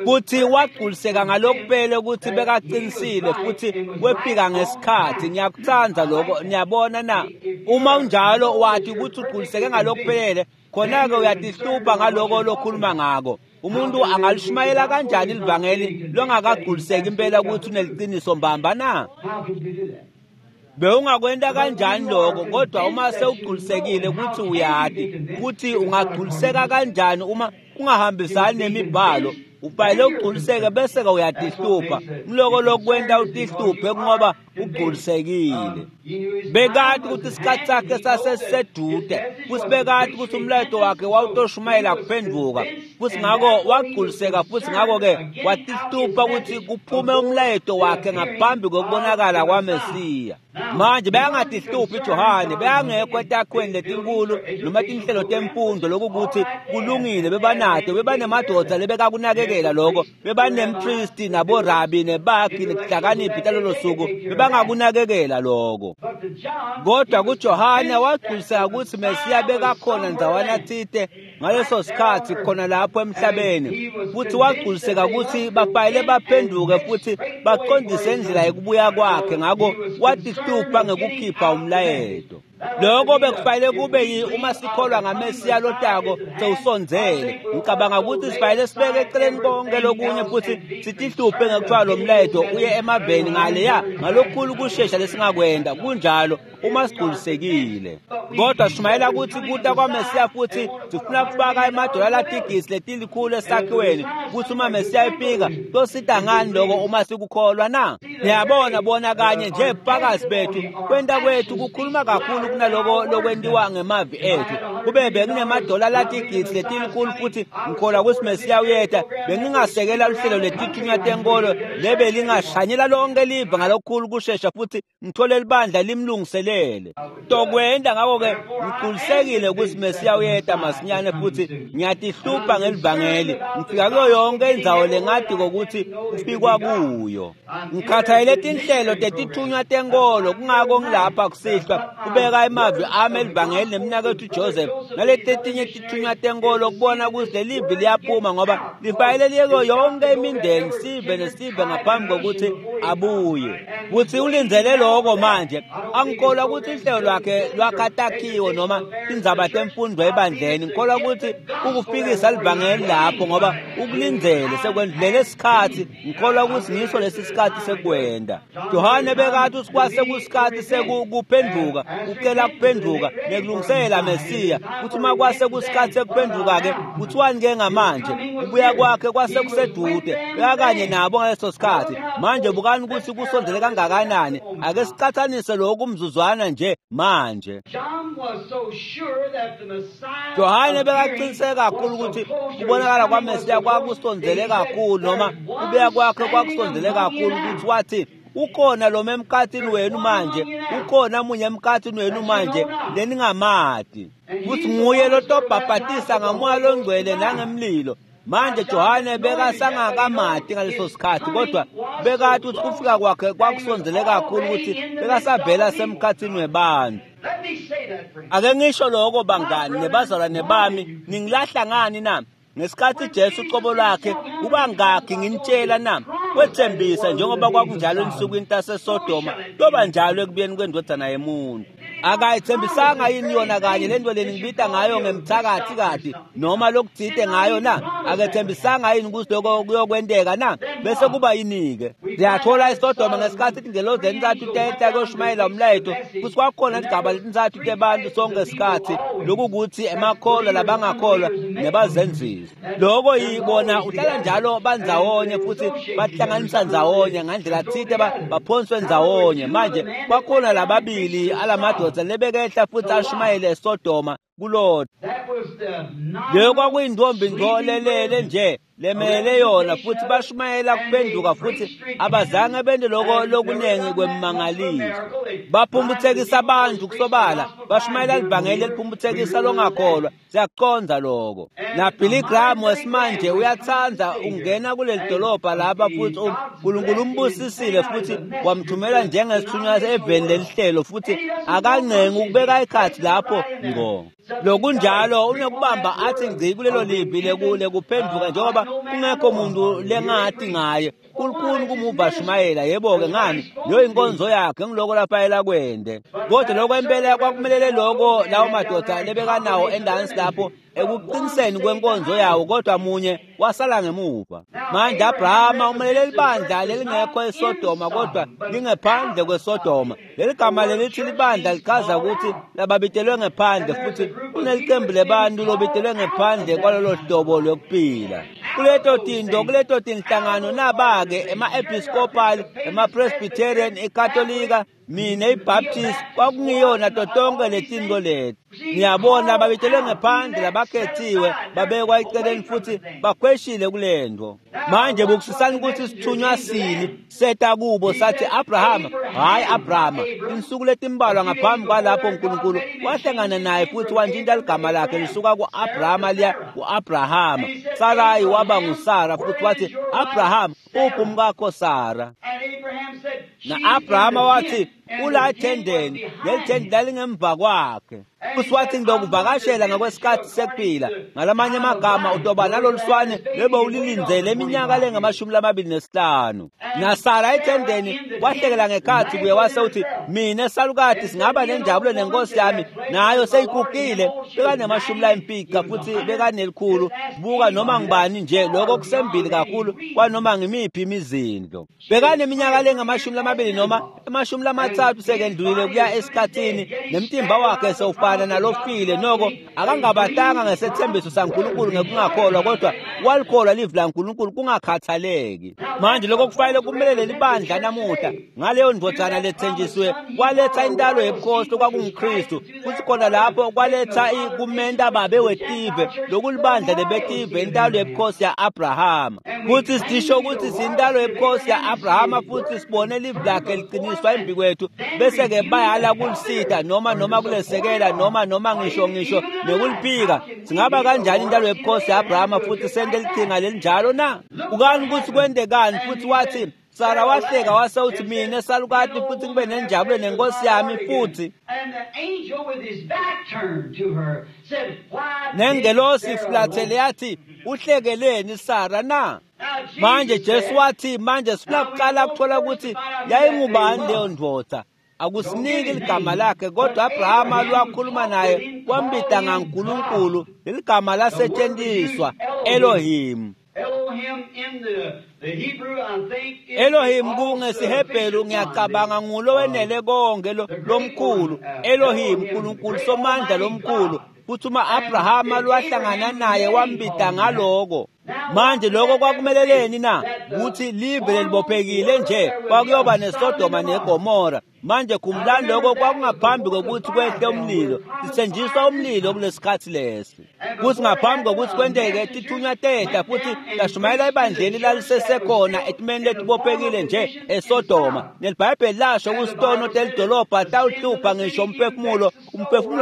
Kuthi wagculiseka ngalokuphele ukuthi bekaqinisile futhi wefika ngesikhathi. Ngiyakuthanda lokho, niyabona na? Uma unjalo wathi ukuthi ugculiseke ngalokuphelele, khona-ke uyatihlupha ngaloko lokhuluma ngako. Umuntu angalishumayela kanjani livangeli longakagculiseki impela ukuthi uneliqiniso mbamba na? Bewungakwenta kanjani lokho? Kodwa uma sewugculisekile ukuthi uyati, ukuthi ungagculiseka kanjani uma ungahambisani nemibhalo? Ufanele ugculiseke bese-ke uyatihlupha. Mloko lokwenta utihluphe ngoba ugculisekile. Bekati ukuthi isikhathi sakhe sasesisedude, futhi bekati ukuthi umlayeto wakhe wawutoshumayela kuphenduka, futhi ngako wagculiseka, futhi ngako-ke watihlupha ukuthi kuphume umlayeto wakhe ngaphambi kokubonakala kwaMesiya. Manje beyangatihluphi Johane, beyangekho etakhweni letinkulu noma tinhlelo temfundo lokukuthi kulungile, bebanato, bebanemadoda lebekakunakekela lokho, bebanempristi naborabi nebakhi netihlakaniphi talolo suku, bebangakunakekela lokho. Kodwa kuJohane wagculiseka ukuthi Mesiya bekakhona ndzawana tsite ngaleso sikhathi khona lapho emhlabeni, futhi wagculiseka ukuthi bafanele baphenduke futhi baqondise indlela yokubuya kwakhe. Ngako watihlupha ngekukhipha umlayeto. Lokho bekufanele kube uma sikholwa ngaMesiya lotako sewusondzele. Ngicabanga ukuthi sifanele sibeke eceleni konke lokunye futhi sitihluphe ngekuthiwa lo mlayeto uye emaveni ngaleya ngalokukhulu kushesha lesingakwenda. Kunjalo uma sigculisekile. Kodwa sishumayela ukuthi kuta kwaMesiya futhi sifuna kufaka emadola latigisi letilikhulu esakhiweni, futhi uma Mesiya efika tosita ngani lokho uma sikukholwa na? Niyabona bona kanye nje bufakazi bethu kwenta kwethu kukhuluma kakhulu kunaloko lokwentiwa ngemavi ethu. Kube bekunemadola latigisi letilikhulu futhi ngikholwa ukuthi Mesiya uyeta, bengingasekela luhlelo letithunywa tenkolo lebe lingashanyela lonke live ngalokukhulu kushesha futhi ngithole libandla limlungiselele. Tokwenda ngako-ke ngigculisekile ukuthi Mesiya uyeta masinyane futhi ngiyatihlupha ngelivangeli. Ngifika kuyo yonke indzawo lengati kokuthi kufikwa kuyo. Ngikhathalele tinhlelo tetithunywa tenkolo, kungako ngilapha kusihlwa kubeka emavi ami elivangeli nemnaketfu Joseph naletinye tithunywa tenkolo kubona ukuthi lelivi liyaphuma, ngoba lifanele liye kuyo yonke imindeni sive nesive ngaphambi kokuthi abuye. Futhi ulindzele lokho manje. Angikholwa ukuthi uhlelo lwakhe lwakhatakhiwe noma tindzaba temfundo ebandleni. Ngikholwa ukuthi ukufikisa livangeli lapho ngoba ukulindzele sekwendlulele isikhathi. Ngikholwa ukuthi ngiso lesi sikhathi sekwenda. Johane bekathi usikwase kusikhathi sekuphenduka, ucela kuphenduka nekulungisela Mesiya. Kuthi uma kwase kusikhathi sekuphenduka-ke kuthiwani-ke ngamanje? Kubuya kwakhe kwase kusedude, bekakanye nabo ngaleso sikhathi. Manje bukani ukuthi kusondele kangakanani. Ake siqathanise lokhu umzuzwana nje manje. Johane bekaqiniseke kakhulu ukuthi kubonakala kwaMesiya kwakusondele kakhulu, noma kubuya kwakhe kwakusondele kakhulu, ukuthi wathi ukhona lo emkhathini wenu manje, ukhona munye emkhathini wenu manje leningamati, futhi nguye lotobhabhatisa ngamoya longcwele nangemlilo. Manje Johane bekasangakamati ngaleso sikhathi, kodwa bekathi ukuthi kufika kwakhe kwakusondele kakhulu ukuthi bekasavela semkhathini webantu. Ake ngisho lokho bangani nebazalwane bami, ningilahla ngani na? Ngesikhathi Jesu ucobo lwakhe kubangakhi nginitshela na? Wethembisa njengoba kwakunjalo ensukwini taseSodoma, kuyoba njalo ekubuyeni kwendodana yemuntu. Akayithembisanga yini yona kanye le nto leni ngibita ngayo ngemthakathi kati noma lokuthite ngayo na? Akethembisanga yini ukuthi lokho kuyokwenteka na? Bese kuba yini-ke? Siyathola iSodoma ngesikhathi ingelozi entathu tehla kuyoshumayela umlayeto, futhi kwakukhona igaba letintathu tebantu sonke isikhathi, lokukuthi emakholwa labangakholwa nebazenzisi. Lokho yibona uhlala njalo bandzawonye futhi bahlanganisa ndzawonye ngandlela thite, baphonswe ndzawonye. Manje kwakhona lababili alamadoda lebekehla futhi ashumayele eSodoma kuLot. Leyo kwakuyintombi nto lelele nje lemele yona, futhi bashumayela kuphenduka, futhi abazange bente lokho lokuningi kwemmangaliso. Baphumputhekisa abantu kusobala, bashumayela livangeli eliphumputhekisa longakholwa. Siyakucondza lokho. Na Billy Graham wesimanje uyatsandza ungena kuleli dolobha lapha, futhi uNkulunkulu umbusisile futhi wamthumela njengesithunywa eveni lelihlelo, futhi akancengi ukubeka ikhathi lapho ngqo. Lokunjalo unokubamba athi ngci kulelo livi lekuphenduka, njengoba kungekho muntu lengathi ngaye. Kulukhuni kumuva shumayela, yebo-ke ngani, leyo inkonzo yakhe ngiloko lafanele kwende. Kodwa lokho impela kwakumelele lokho lawo madoda lebekanawo endansi lapho ekuqiniseni kwenkonzo yawo, kodwa munye wasala ngemuva. Manje Abrahama umelele libandla lelingekho eSodoma, kodwa lingephandle kweSodoma. Leli gama lelithi libandla lichaza ukuthi lababitelwe ngephandle, futhi kunelicembu lebantu lobitelwe ngephandle kwalolo hlobo lokuphila. Kuleto tinto, kuleto tinhlangano naba-ke ema-Episcopal, ema-Presbyterian, iKatolika, mina iBaptist, kwakungiyona to tonke letinto leti. Niyabona, babitelwe ngephandle, labakhethiwe babekwa eceleni futhi bakhweshile kulento. Manje bukusisani ukuthi sithunywa sini seta kubo sathi Abrahama, hayi Abrahama, insuku letimbalwa ngaphambi kwalapho uNkulunkulu wahlangana naye futhi wantshintsha ligama lakhe lisuka ku-Abrahama liya ku-Abrahama. Sarai waba nguSara futhi wathi Abraham, uphi umkakho Sara? Na-Abrahama wathi ula ethendeni, leli thende lalingemva kwakhe. Futhi wathi ngizokuvakashela ngakwesikhathi sekuphila. Ngalamanye amagama utoba nalolu swane lebe ulilindzele iminyaka lengu-25. NaSara ethendeni wahlekela ngekhathi kuye wase uthi mina salukati singaba nenjabulo nenkosi yami nayo seyigugile. Bekanemashumi futhi bekanelikhulu. Buka noma ngibani nje lokho kusembili kakhulu kwanoma ngimiphi imizindlo. Bekaneminyaka lengu-20 noma 30 sekendlulile kuya esikhathini, nemtimba wakhe sewufana nalofile. Noko akangabatanga ngesethembiso saNkulunkulu ngekungakholwa, kodwa walikholwa livi laNkulunkulu kungakhathaleki. Manje lokho kufanele kumelele libandla namuhla. Ngaleyo ndvodzana lethenjisiwe kwaletha intalo yebukhosi lokwakunguKristu, futhi khona lapho kwaletha kumenta babe wetive, lokulibandla lebetive, intalo yebukhosi ya-Abrahama. Futhi sisho ukuthi siyintalo yebukhosi ya-Abrahama, futhi sibone livi lakhe liqiniswa embi kwethu, bese-ke bayala kulisida noma kulesekela noma ngisho nekuliphika. Singaba kanjani intalo yebukhosi ya-Abrahama futhi sente lichinga lelinjalo na? Ukani ukuthi kwendekani? Futhi wathi Sara wahleka wase uthi mina salukati futhi ngibe nenjabulo nenkosi yami futhi. Nengelosi ifulathele yathi uhlekeleni Sara na? Manje Jesu wathi manje sifuna kuqala ukuthola ukuthi yayingubani leyo ndoda. Akusiniki ligama lakhe, kodwa Abrahama lwakhuluma naye wambita ngaNkulunkulu. Leligama lasetshenziswa Elohim. Elohim kungesihebheru ngiyacabanga ngulo wenele konke lomkhulu. Elohim, uNkulunkulu somandla lomkhulu. Futhi uma Abrahama lwahlangana naye wambita ngaloko. Manje lokho kwakumeleleni na? Ukuthi live lelibophekile nje kwakuyoba neSodoma neGomora. Manje khumbulani lokho kwakungaphambi kokuthi kwehle umlilo. Sithenjiswa umlilo kulesikhathi lesi. Kuthi ngaphambi kokuthi kwenteke tithunywa tehla futhi lashumayela ebandleni lalisesekhona etimeni letibophekile nje eSodoma. NeliBhayibheli lasho kusitono telidolobha tawuhlupha ngisho umphefumulo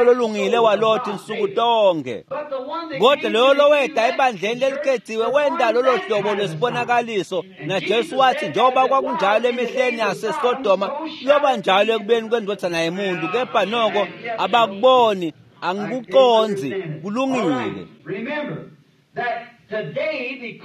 lolungile waLothi insuku tonke. Kodwa loyo loweda ebandleni lelikhethiwe wenda lolo hlobo lwesibonakaliso. NaJesu wathi njengoba kwakunjalo emihleni yaseSodoma kuyoba njalo ekubeni kwendvodzana yemuntu, kepha noko abakuboni, angikuconzi. Kulungile.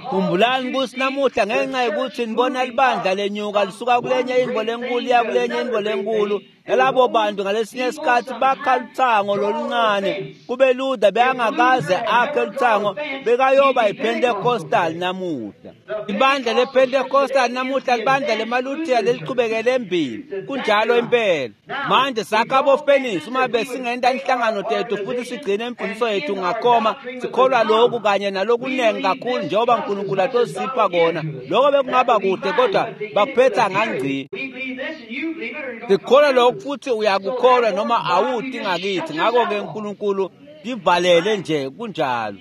Khumbulani ukuthi namuhla ngenxa yokuthi nibona libandla lenyuka lisuka kulenye indvo lenkulu iya kulenye indvo lenkulu, nalabo bantu ngalesinye isikhathi bakha luthango loluncane. Kube Luther bekangakaze akhe luthango, bekayoba yiPentecostal namuhla. Ibandla lePentecostal namuhla libandla lemaLuthela lelichubekele embili. Kunjalo impela. Manje sakha abofenisi uma besingenta inhlangano tethu futhi sigcine imfundiso yethu ngakhoma, sikholwa lokhu kanye nalokunengi kakhulu njengoba uNkulunkulu atosipha kona. Lokho bekungaba kuhle, kodwa bakuphetha ngangci. Sikholwa lokhu futhi uyakukholwa noma awuti ngakithi. Ngakho-ke uNkulunkulu livalele nje kunjalo.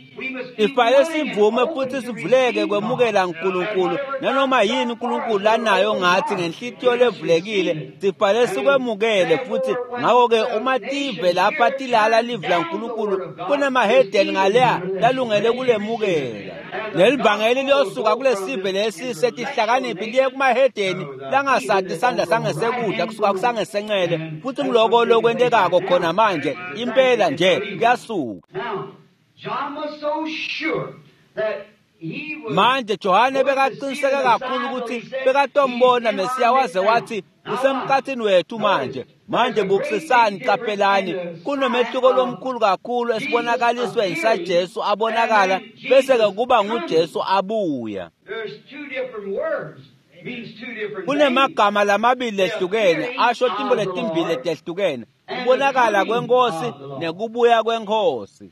Ifanele sivume futhi sivuleke kwemukela uNkulunkulu nanoma yini uNkulunkulu lanayo ngathi ngenhlitiyo levulekile sifanele sikwemukele futhi. Ngakho-ke uma tive lapha tilala livi laNkulunkulu kunemahedeni ngaleya lalungele kulemukela. Leli vangeli liyosuka kulesive lesi setihlakaniphi liye kumahedeni langasati isandla sangesekudla kusuka kusangesencele, futhi ngiloko lokwentekako khona manje impela nje kuyasuka. Manje Johane bekaqiniseke kakhulu ukuthi bekatombona Mesiya waze wathi usemkhathini wethu manje. Manje bukusisani, qaphelani, kunomehluko lomkhulu kakhulu esibonakalisweni saJesu abonakala bese-ke kuba nguJesu abuya. Kunemagama lamabili lehlukene asho timbo letimbili letehlukene. Kubonakala kwenkosi nekubuya kwenkosi.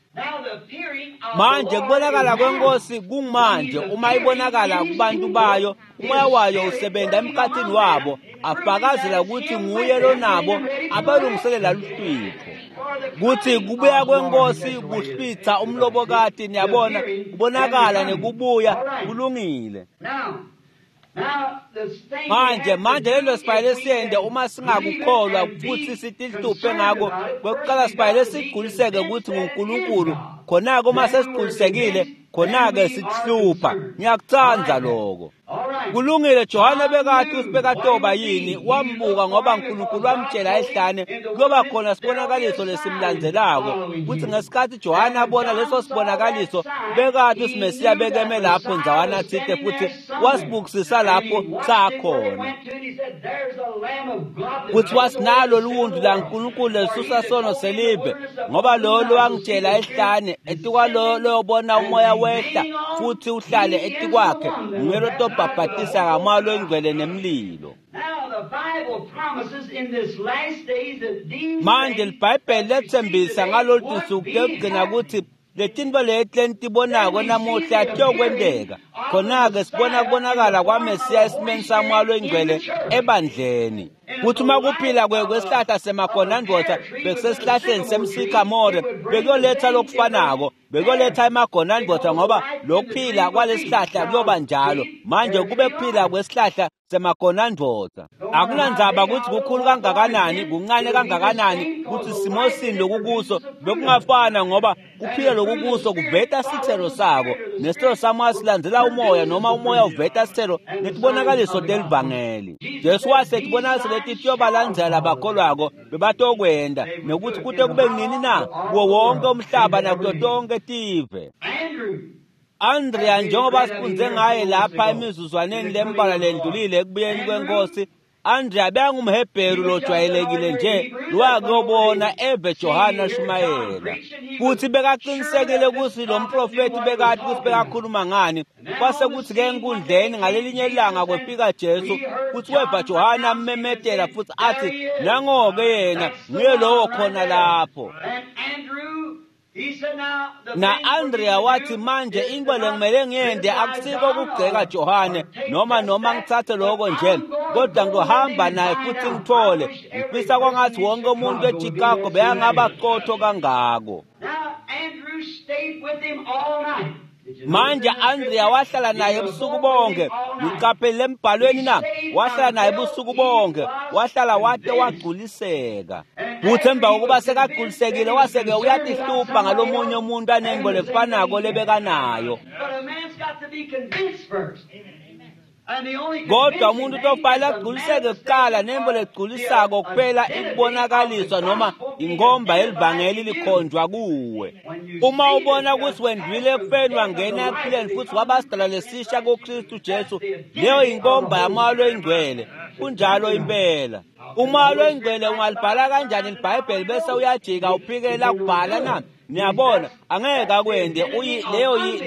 Manje kubonakala kwenkosi kungmanje uma ibonakala kubantu bayo, umoya wayo usebenta emkhathini wabo, afakazela ukuthi nguye lonabo abalungiselela luhlwitho. Kuthi kubuya kwenkosi kuhlwitha umlobokati, niyabona, kubonakala nekubuya kulungile. Manje lelo sifanele siyende uma singakukholwa futhi sitihluphe ngako. Kwekuqala sifanele sigculiseke ukuthi nguNkulunkulu. Khona-ke uma sesigculisekile, khona-ke sitihlupha. Ngiyakutsandza lokho. Kulungile. Johane bekathi usibekatoba yini, wambuka ngoba uNkulunkulu wamtshela ehlane kuyoba khona sibonakaliso lesimlandzelako. Kuthi ngesikhathi Johane abona leso sibonakaliso, bekathi usimesiya bekeme lapho ndzawana thite futhi wasibukisisa lapho sakhona. Kuthi wasinalo liwundlu laNkulunkulu lelisusa sono selive, ngoba lo lowangitshela ehlane etikwalo loyobona umoya wehla futhi uhlale etikwakhe nguye lotobhabhatisa ngamoya longcwele nemlilo. Manje liBhayibheli letsembisa ngalolu tinsuku tekugcina ukuthi letinto leti lenitibonako namuhla tiyokwenteka. Khona-ke sibona kubonakala kwaMesiya esimeni samoya longcwele ebandleni. Kuthi uma kuphila kwesihlahla semagonandvodza bekusesihlahleni semsikamore, bekuyoletha lokufanako, bekuyoletha emagonandvodza, ngoba lokuphila kwalesihlahla kuyoba njalo. Manje kube kuphila kwesihlahla semagonandvodza. Akunandzaba ukuthi kukhulu kangakanani, kuncane kangakanani, kuthi simo sini lokukuso bekungafana, ngoba kuphila lokukuso kuveta sithelo sako, nesithelo samoya silandzela umoya, noma umoya uveta sithelo netibonakaliso telivangeli. Jesu wase tibonakaliso leti tiyobalandzela labakholwako bebatokwenda, nekuthi kute kube nini na kuwo wonke umhlaba nakuto tonke tive. Andrea, njengoba sifunze ngaye lapha emizuzwaneni lembalwa lendlulile ekubuyeni kwenkosi, Andrea bekangumHebheru lojwayelekile nje lowakuyobona eve Johane ashumayela, futhi bekaqinisekile ukuthi lo mprofethi bekathi ukuthi bekakhuluma ngani. Kwase kuthi-ke enkundleni ngalelinye ilanga kwefika Jesu, futhi weva Johane ammemetela futhi athi, nango-ke yena, nguye lowo khona lapho. Na-Andrea wathi, manje into lengimele ngiyende akusiko ukugceka Johane noma ngithathe lokho nje, kodwa ngizohamba naye futhi ngithole. Ngifisa kwangathi wonke umuntu eChicago bekangaba qotho kangako. Manje Andrea wahlala naye ebusuku bonke. Niqaphele embhalweni na? Wahlala naye ebusuku bonke, wahlala wate wagculiseka. Futhi emva kokuba sekagculisekile, wase-ke uyatihlupha ngalomunye umuntu anengo lefanako lebekanayo. Kodwa umuntu utofanele agculiseke kuqala, nembo legculisako kuphela ikubonakaliswa noma inkomba yelivangeli likhonjwa kuwe. Uma ubona ukuthi wendlulile ekufeni wangena ekuphileni futhi waba sidalwa lesisha kuKristu Jesu, leyo inkomba yamoya loyingcwele. Kunjalo impela. Umoya loyingcwele ungalibhala kanjani iBhayibheli bese uyajika uphikela kubhala na? Niyabona, angeke akwende.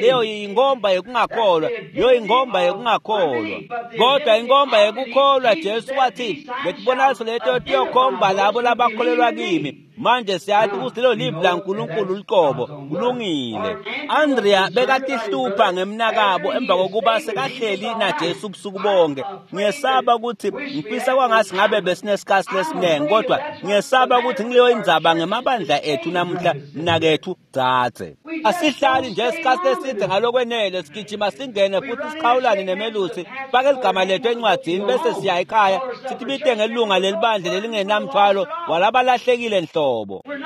Leyo inkomba yekungakholwa, leyo inkomba yekungakholwa. Kodwa inkomba yekukholwa, Jesu wathi, letibonakaliso leto tiyokhomba labo labakholelwa kimi. Manje siyathi ukuthi lelo livi laNkulunkulu luqobo kulungile. Andrea bekatihlupha ngemnakabo emva kokuba sekahleli naJesu ubusuku bonke. Ngiyesaba ukuthi ngifisa kwangathi ngabe besinesikhathi lesiningi, kodwa ngiyesaba ukuthi ngileyo indzaba ngemabandla ethu namuhla, mnakethu dzadze. Asihlali nje isikhathi eside ngalokwenele, sigijima singene futhi siqhawulane nemelusi, fake ligama lethu encwadzini bese siya ekhaya sithi bite ngelunga lelibandla lelingenamthwalo walabalahlekile nhlobo.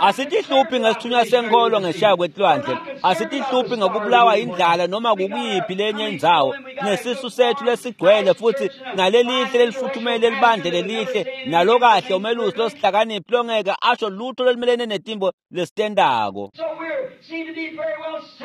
Asitihluphi ngesithunywa senkolo ngeshaya kwetilwandle, asitihluphi ngokubulawa indlala noma kukuyiphi lenye indzawo. Nesisu sethu lesigcwele futhi nalelihle lelifuthumele libandla lelihle nalokahle umelusi losihlakaniphi longeke asho lutho lolumelene netimbo lesitendako.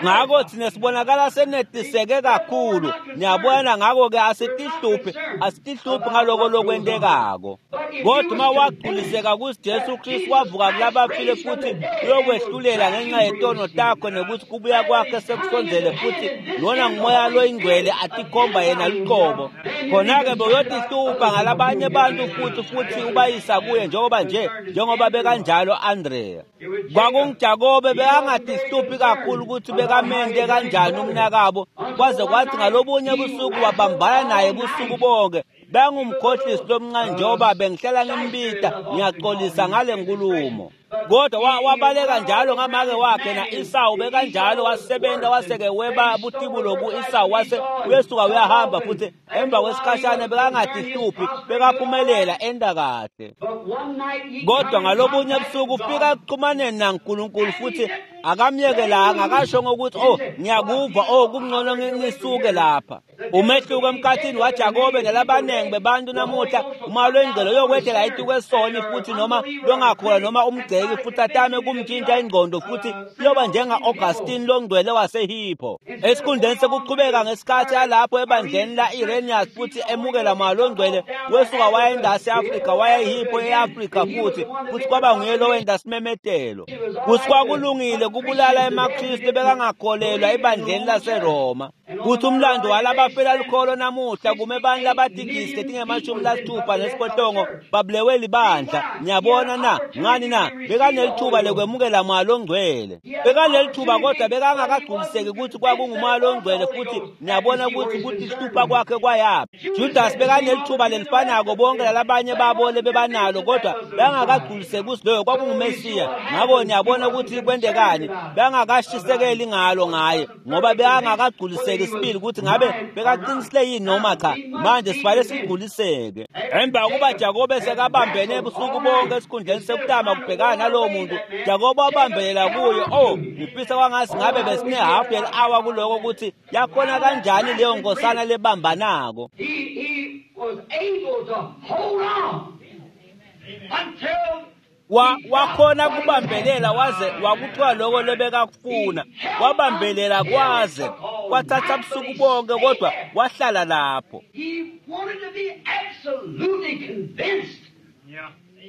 Ngako thina sibonakala senetiseke kakhulu, niyabona. Ngako-ke asitihluphi ngaloko lokwentekako. Kodwa uma wagculiseka kutsi Jesu Kristu wavuka kulabafile futhi uyokwehlulela ngenxa yetono takho, nekuthi kubuya kwakhe sekusondzele, futhi lona ngumoya loyingcwele atikhomba yena luqobo, khona-ke bewuyotihlupha ngalabanye bantu futhi ubayisa kuye, njengoba bekanjalo Andrea. KwakunguJakobe bekangatihluphi kakhulu ukuthi bekamente kanjani umnakabo, kwaze kwathi ngalobunye busuku wabambana naye busuku bonke. Bengumkhohlisi lomncane, njengoba bengihlala ngimbita, ngiyaxolisa ngale nkulumo. Kodwa wabaleka njalo ngamake wakhe na-Isawu bekanjalo, wasebenza waseke weba butibulo ku-Isawu, wase uyesuka uyahamba. Futhi emva kwesikhashana bekangatihluphi, bekaphumelela enda kahle. Kodwa ngalobunye busuku ufika ekuxhumaneni naNkulunkulu futhi akamyekelanga, akasho ngokuthi oh ngiyakuva, oh kungcono ngisuke lapha. Umehluko emkhathini waJakobe nalabanengi bebantu namuhla, uma lwengcelo yokwehlela itukwesoni futhi noma longakholwa noma umgceki futhi atame kumtshintsha ingqondo, futhi kuyoba njenga-Augustine longcwele waseHippo. Esikhundleni sekuqhubeka ngesikhathi alapho ebandleni la-Irenaeus futhi emukela moya longcwele, wesuka waya e-Afrika, waya eHippo e-Afrika, futhi kwaba nguye lowenda simemetelo kuthi kwakulungile kubulala emaKristu bekangakholelwa ebandleni laseRoma. Kuthi umlando walabafela lukholo namuhla kume bani labatigisi letinge-68 babulewe libandla. Niyabona na? Ngani na? Bekanelithuba lekwemukela moya longcwele, bekanelithuba, kodwa bekangakagculiseki ukuthi kwakungumoya longcwele. Futhi niyabona ukuthi kutihlupha kwakhe kwayaphi. Judas bekanelithuba lelifanako bonke lalabanye babo lebebanalo, kodwa bengakagculiseki ukuthi loyo kwakunguMesiya. Ngako niyabona ukuthi kwentekani, bengakashisekeli ngalo ngaye, ngoba bekangakagculiseki sibili ukuthi ngabe bekaqinisile yini noma cha. Manje sifale sigculiseke. Emva kuba Jakobe sekabambene ebusuku bonke, esikhundleni sekutama kubhekana nalowo muntu, Jakobe wabambelela kuye. Oh, ngifisa kwangathi ngabe besine hafu yeli-hour kuloko, ukuthi yakhona kanjani leyo nkosana lebambanako. He was able to hold on until Wakhona kubambelela waze wakuthiwa loko lebekakufuna. Wabambelela kwaze kwathatha busuku bonke, kodwa wahlala lapho. He wanted to be absolutely convinced.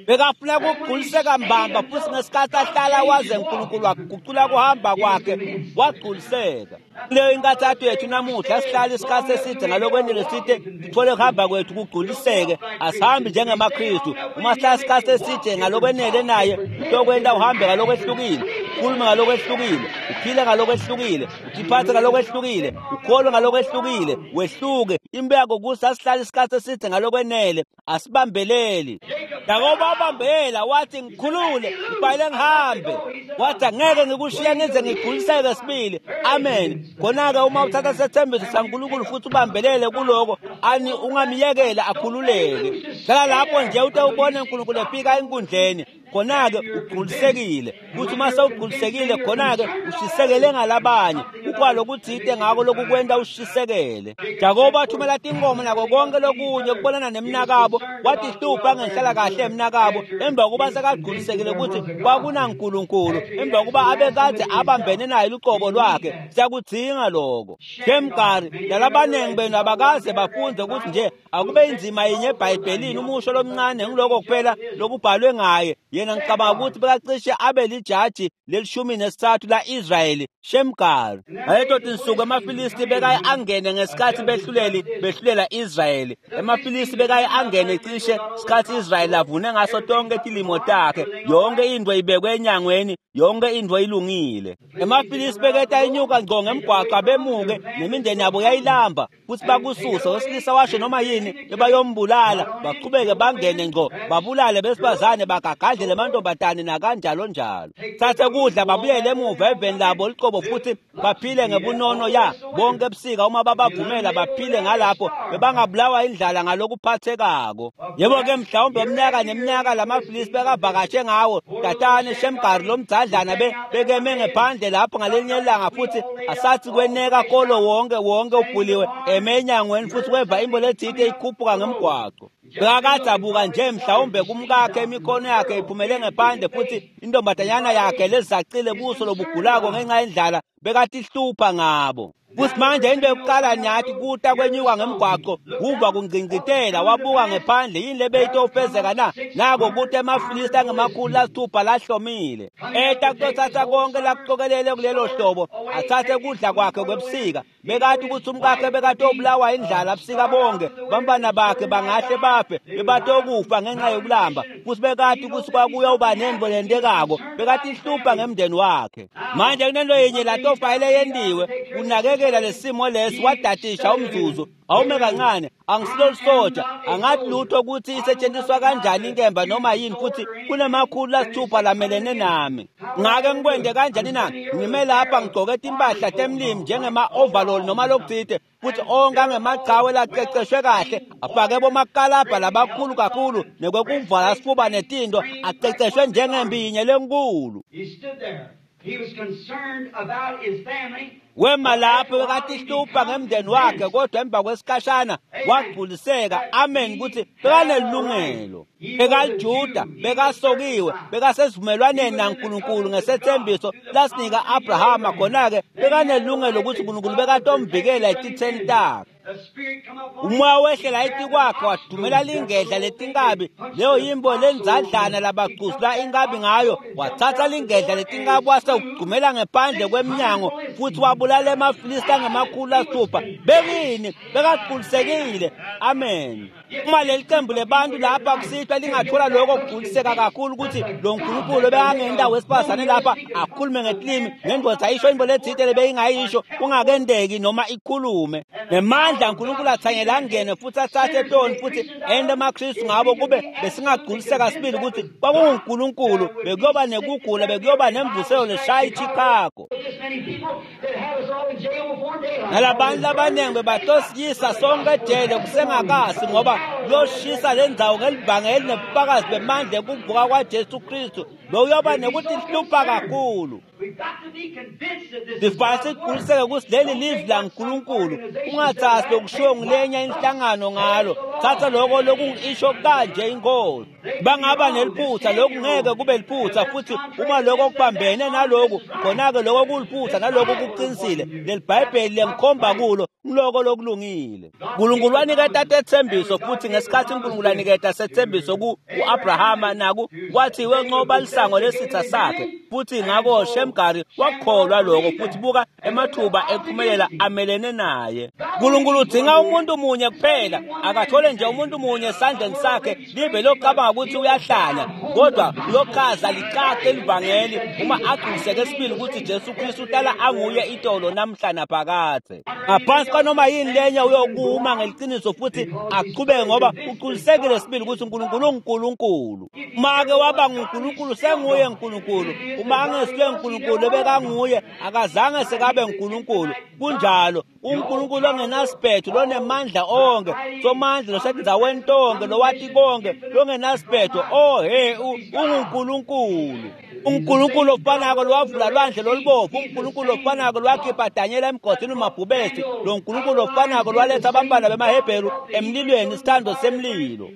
Bekafuna kugculiseka mbamba, futhi ngesikhathi ahlala waze uNkulunkulu wagucula kuhamba kwakhe, wagculiseka. Kuleyo inkathatho yethu namuhla, asihlali isikhathi eside ngalokwenele side sithole kuhamba kwethu kugculiseke. Asihambi njengemaKristu. Uma sihlala isikhathi eside ngalokwenele naye, kutokwenta uhambe ngalokwehlukile, ukhulume ngalokwehlukile, uphile ngalokwehlukile, utiphathe ngalokwehlukile, ukholwe ngalokwehlukile, wehluke. Impeko kuthi asihlale isikhathi eside ngalokwenele, asibambeleli. Jakobe wabambela, wathi ngikhulule, ngibhayile ngihambe. Wathi angeke ngikushiya ngize ngigculiseke sibili. Amen. Khona-ke uma uthatha sethembiso saNkulunkulu futhi ubambelele kuloko, ani ungamyekela akhululeke. Hlala lapho nje ute ubone uNkulunkulu efika enkundleni. Khona-ke ugculisekile. Kuthi uma sewugculisekile, khona-ke ushisekele ngalabanye, ukwalo kuthite ngako lokukwenta ushisekele. Jakobe wathumela tinkomo nako konke lokunye ukubonana nemnakabo, watihlupha ngenhlala kahle emnakabo emva kokuba sekagculisekile ukuthi kwakunaNkulunkulu, emva kokuba abekade abambene naye luqobo lwakhe. Siyakudzinga lokho. Shemgari nalabanengi benu abakaze bafunde ukuthi nje akube inzima yinye eBhayibhelini, umusho lomncane ngiloko kuphela lokubhalwe ngaye. Yena ngicabanga ukuthi bekacishe abe lijaji leli-13 la-Israyeli, Shemgari. Ngaleto tinsuku amaFilisti bekaye angene ngesikhathi behluleli behlulela Israyeli. EmaFilisti bekaye angene cishe sikhathi Israyeli avune ngaso tonke tilimo takhe, yonke into ibekwe enyangweni, yonke into ilungile. EmaFilisti beketa inyuka ngco ngemgwaco bemuke nemindeni yabo yayilamba, futhi bakususa wesilisa washo noma yini bebayombulala, baqhubeke bangene ngco babulale besifazane, bagagadlele amantombazane nakanjalo njalo. Thathe kudla babuyele emuva eveni labo liqobo futhi baphile ngebunono ya bonke ebusika. Uma babavumela baphile ngalapho, bebangabulawa indlala ngalokuphathekako. Yebo-ke mhlawumbe umnyaka neminyaka lamaFilisti bekavakashe ngawo tatane Shemgari lomdzadlana bekeme ngephandle lapho ngalinye ilanga, futhi asathi kweneka kolo wonke wonke ubhuliwe eme enyangweni, futhi weva imbo lethite ikhuphuka ngemgwaco. Bekakadzabuka nje mhlawumbe kumkakhe, imikhono yakhe iphumele ngephandle, futhi intombazanyana yakhe lezacile buso lobugulako ngenxa yendlala, bekatihlupha ngabo. Futhi manje into yokuqala nyathi kuta kwenyuka ngemgwaqo, kuva kungcingcitela, wabuka ngephandle, yini lebeyitofezeka na? Nako kuta emaFilisti angemakhulu lasithupha lahlomile. Eta kutothatha konke lakucokelele kulelo hlobo, athathe kudla kwakhe kwebusika. Bekati ukuthi umkakhe bekatobulawa indlala busika bonke, bantwana bakhe bangahle bafe, bebatokufa ngenxa yokulamba. Futhi bekati ukuthi kwakuyoba nento lentekako, bekatihlupha ngemndeni wakhe. Manje kunento yinye latofayele yendiwe, kunakekela lesimo lesi, wadatisha umzuzu. Awume kancane, angisilo lisoja, angathi lutho ukuthi isetshenziswa kanjani inkemba noma yini, futhi kunemakhulu lasithupha lamelene nami. Ngake ngikwende kanjani na? Ngime lapha ngigcoke timpahla temlimi njengema-overall noma lokuthite, futhi onke angemaqhawe laqeqeshwe kahle, afake bomakalabha labakhulu kakhulu nekwekuvala sifuba netinto, aqeqeshwe njengempi yinye lenkulu. He stood there. He was concerned about his family. Wema lapho bekatihlupha ngemndeni wakhe, kodwa emva kwesikhashana wagculiseka, amen, ukuthi bekanelungelo. BekaLijuda, bekasokiwe, bekasesivumelwaneni naNkulunkulu ngesethembiso lasinika Abrahama. Khona-ke bekanelungelo ukuthi uNkulunkulu bekatomvikela etitheni takhe. The Spirit come up on Umoya wehlela etikwakhe, wadumela lingedla letinkabi, leyo yimbo lenzadlana labagcuzula inkabi ngayo. Wathatha lingedla letinkabi wase ugcumela ngephandle kwemnyango, futhi wabulala emaFilisti angemakhulu lasithupha. Bekini bekagculisekile, amen. Uma leli qembu lebantu lapha kusihlwa lingathola lokho kugculiseka kakhulu ukuthi lo Nkulunkulu bekangenda wesifazane lapha akhulume ngetilimi, nendoda ayisho into lethite lebeyingayisho kungakendeki noma ikhulume, nemandla uNkulunkulu athanyela angene futhi athathe toni futhi ende amaKristu ngabo, kube besingagculiseka sibili ukuthi kwakunguNkulunkulu, bekuyoba nekugula, bekuyoba nemvuselo leshaya iChicago. This many people that have us all in jail before daylight. Nalabantu labaningi bebatosiyisa sonke ejele kusengakasi, ngoba kuyoshisa le ndzawo ngelivangeli nebufakazi bemandla ekuvuka kwaJesu Kristu, bekuyoba nekuthi hlupha kakhulu. We've got to be convinced that this is Sifane God's word. sigculiseke ukuthi leli livi laNkulunkulu, ungathathi lokushiwo ngulenye inhlangano ngalo, thatha lokho lokungisho kanje inkosi. Bangaba neliphutha, lokhu ngeke kube liphutha, futhi uma lokho kubambene naloku, khona-ke lokho kuliphutha nalokho kuqinisile. Leli Bhayibheli lengikhomba kulo ngiloko lokulungile. uNkulunkulu waniketa tethembiso, futhi ngesikhathi uNkulunkulu aniketa sethembiso ku-Abrahama naku kwathi wenqoba lisango lesitha sakhe, futhi ngako Shemgari wakholwa lokho, futhi buka emathuba ekuphumelela amelene naye. uNkulunkulu udinga umuntu munye kuphela, akathole nje umuntu munye esandleni sakhe, live locabanga ukuthi uyahlanya, kodwa uyochaza licace elivangeli uma agculiseke sibili ukuthi Jesu Kristu uhlala anguye itolo namhla naphakadze. Ngaphansi kwanoma yini lenye uyokuma ngeliciniso futhi aqhubeke, ngoba ugculisekile sibili ukuthi uNkulunkulu unguNkulunkulu. Uma-ke waba nguNkulunkulu, senguye uNkulunkulu. Uma angesuye uNkulunkulu ebekanguye, akazange sekabe nguNkulunkulu. Kunjalo, uNkulunkulu ongenasiphetho, lonemandla onke, somandla losetindzaweni tonke, lowati konke, longenasiphetho. Oh he, unguNkulunkulu. uNkulunkulu ofanako lowavula lwandle lolubovu, uNkulunkulu ofanako lwakhipha Danyela emgodini umabhubesi, lo Nkulunkulu ofanako lwaletha abantwana bemaHebheru emlilweni, isithando semlilo.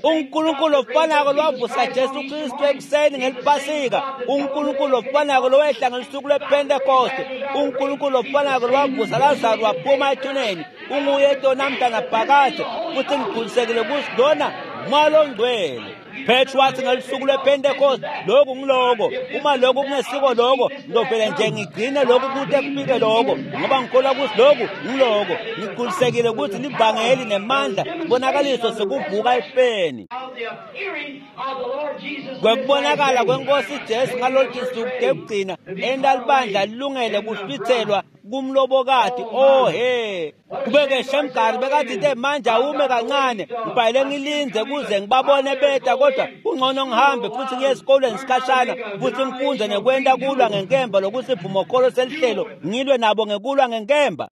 uNkulunkulu ofanako lwavusa Jesu Kristu ekuseni ngelipasika, uNkulunkulu ofanako lowehla ngelusuku lwePentekoste, uNkulunkulu ofanako lwavusa Lazaro waphuma ethuneni, unguye namhla naphakade, futhi ngigculisekile ukuthi lona Moya ongcwele. Petro wathi ngelusuku lwePentecost, lokhu ngiloko, uma lokhu kungesiko lokho, ngizovele nje ngigcine lokhu kude kufike lokho, ngoba ngikholwa ukuthi lokhu ngiloko. Ngigculisekile ukuthi livangeli nemandla sibonakaliso sekuvuka efeni. Of the appearing of the Lord Jesus. Kwekubonakala kwenkosi Jesu ngalolu suku lekugcina, enta libandla lilungele kuhlwithelwa kumlobokati. Oh he, kubeke Shemgari bekathi manje awume kancane, ngibhayile ngilindze kuze ngibabone beta, kodwa kungcono ngihambe futhi ngiye esikolweni sikhashana futhi ngifunde nekwenta kulwa ngenkemba lokusivumokholo selihlelo, ngilwe nabo ngekulwa ngenkemba.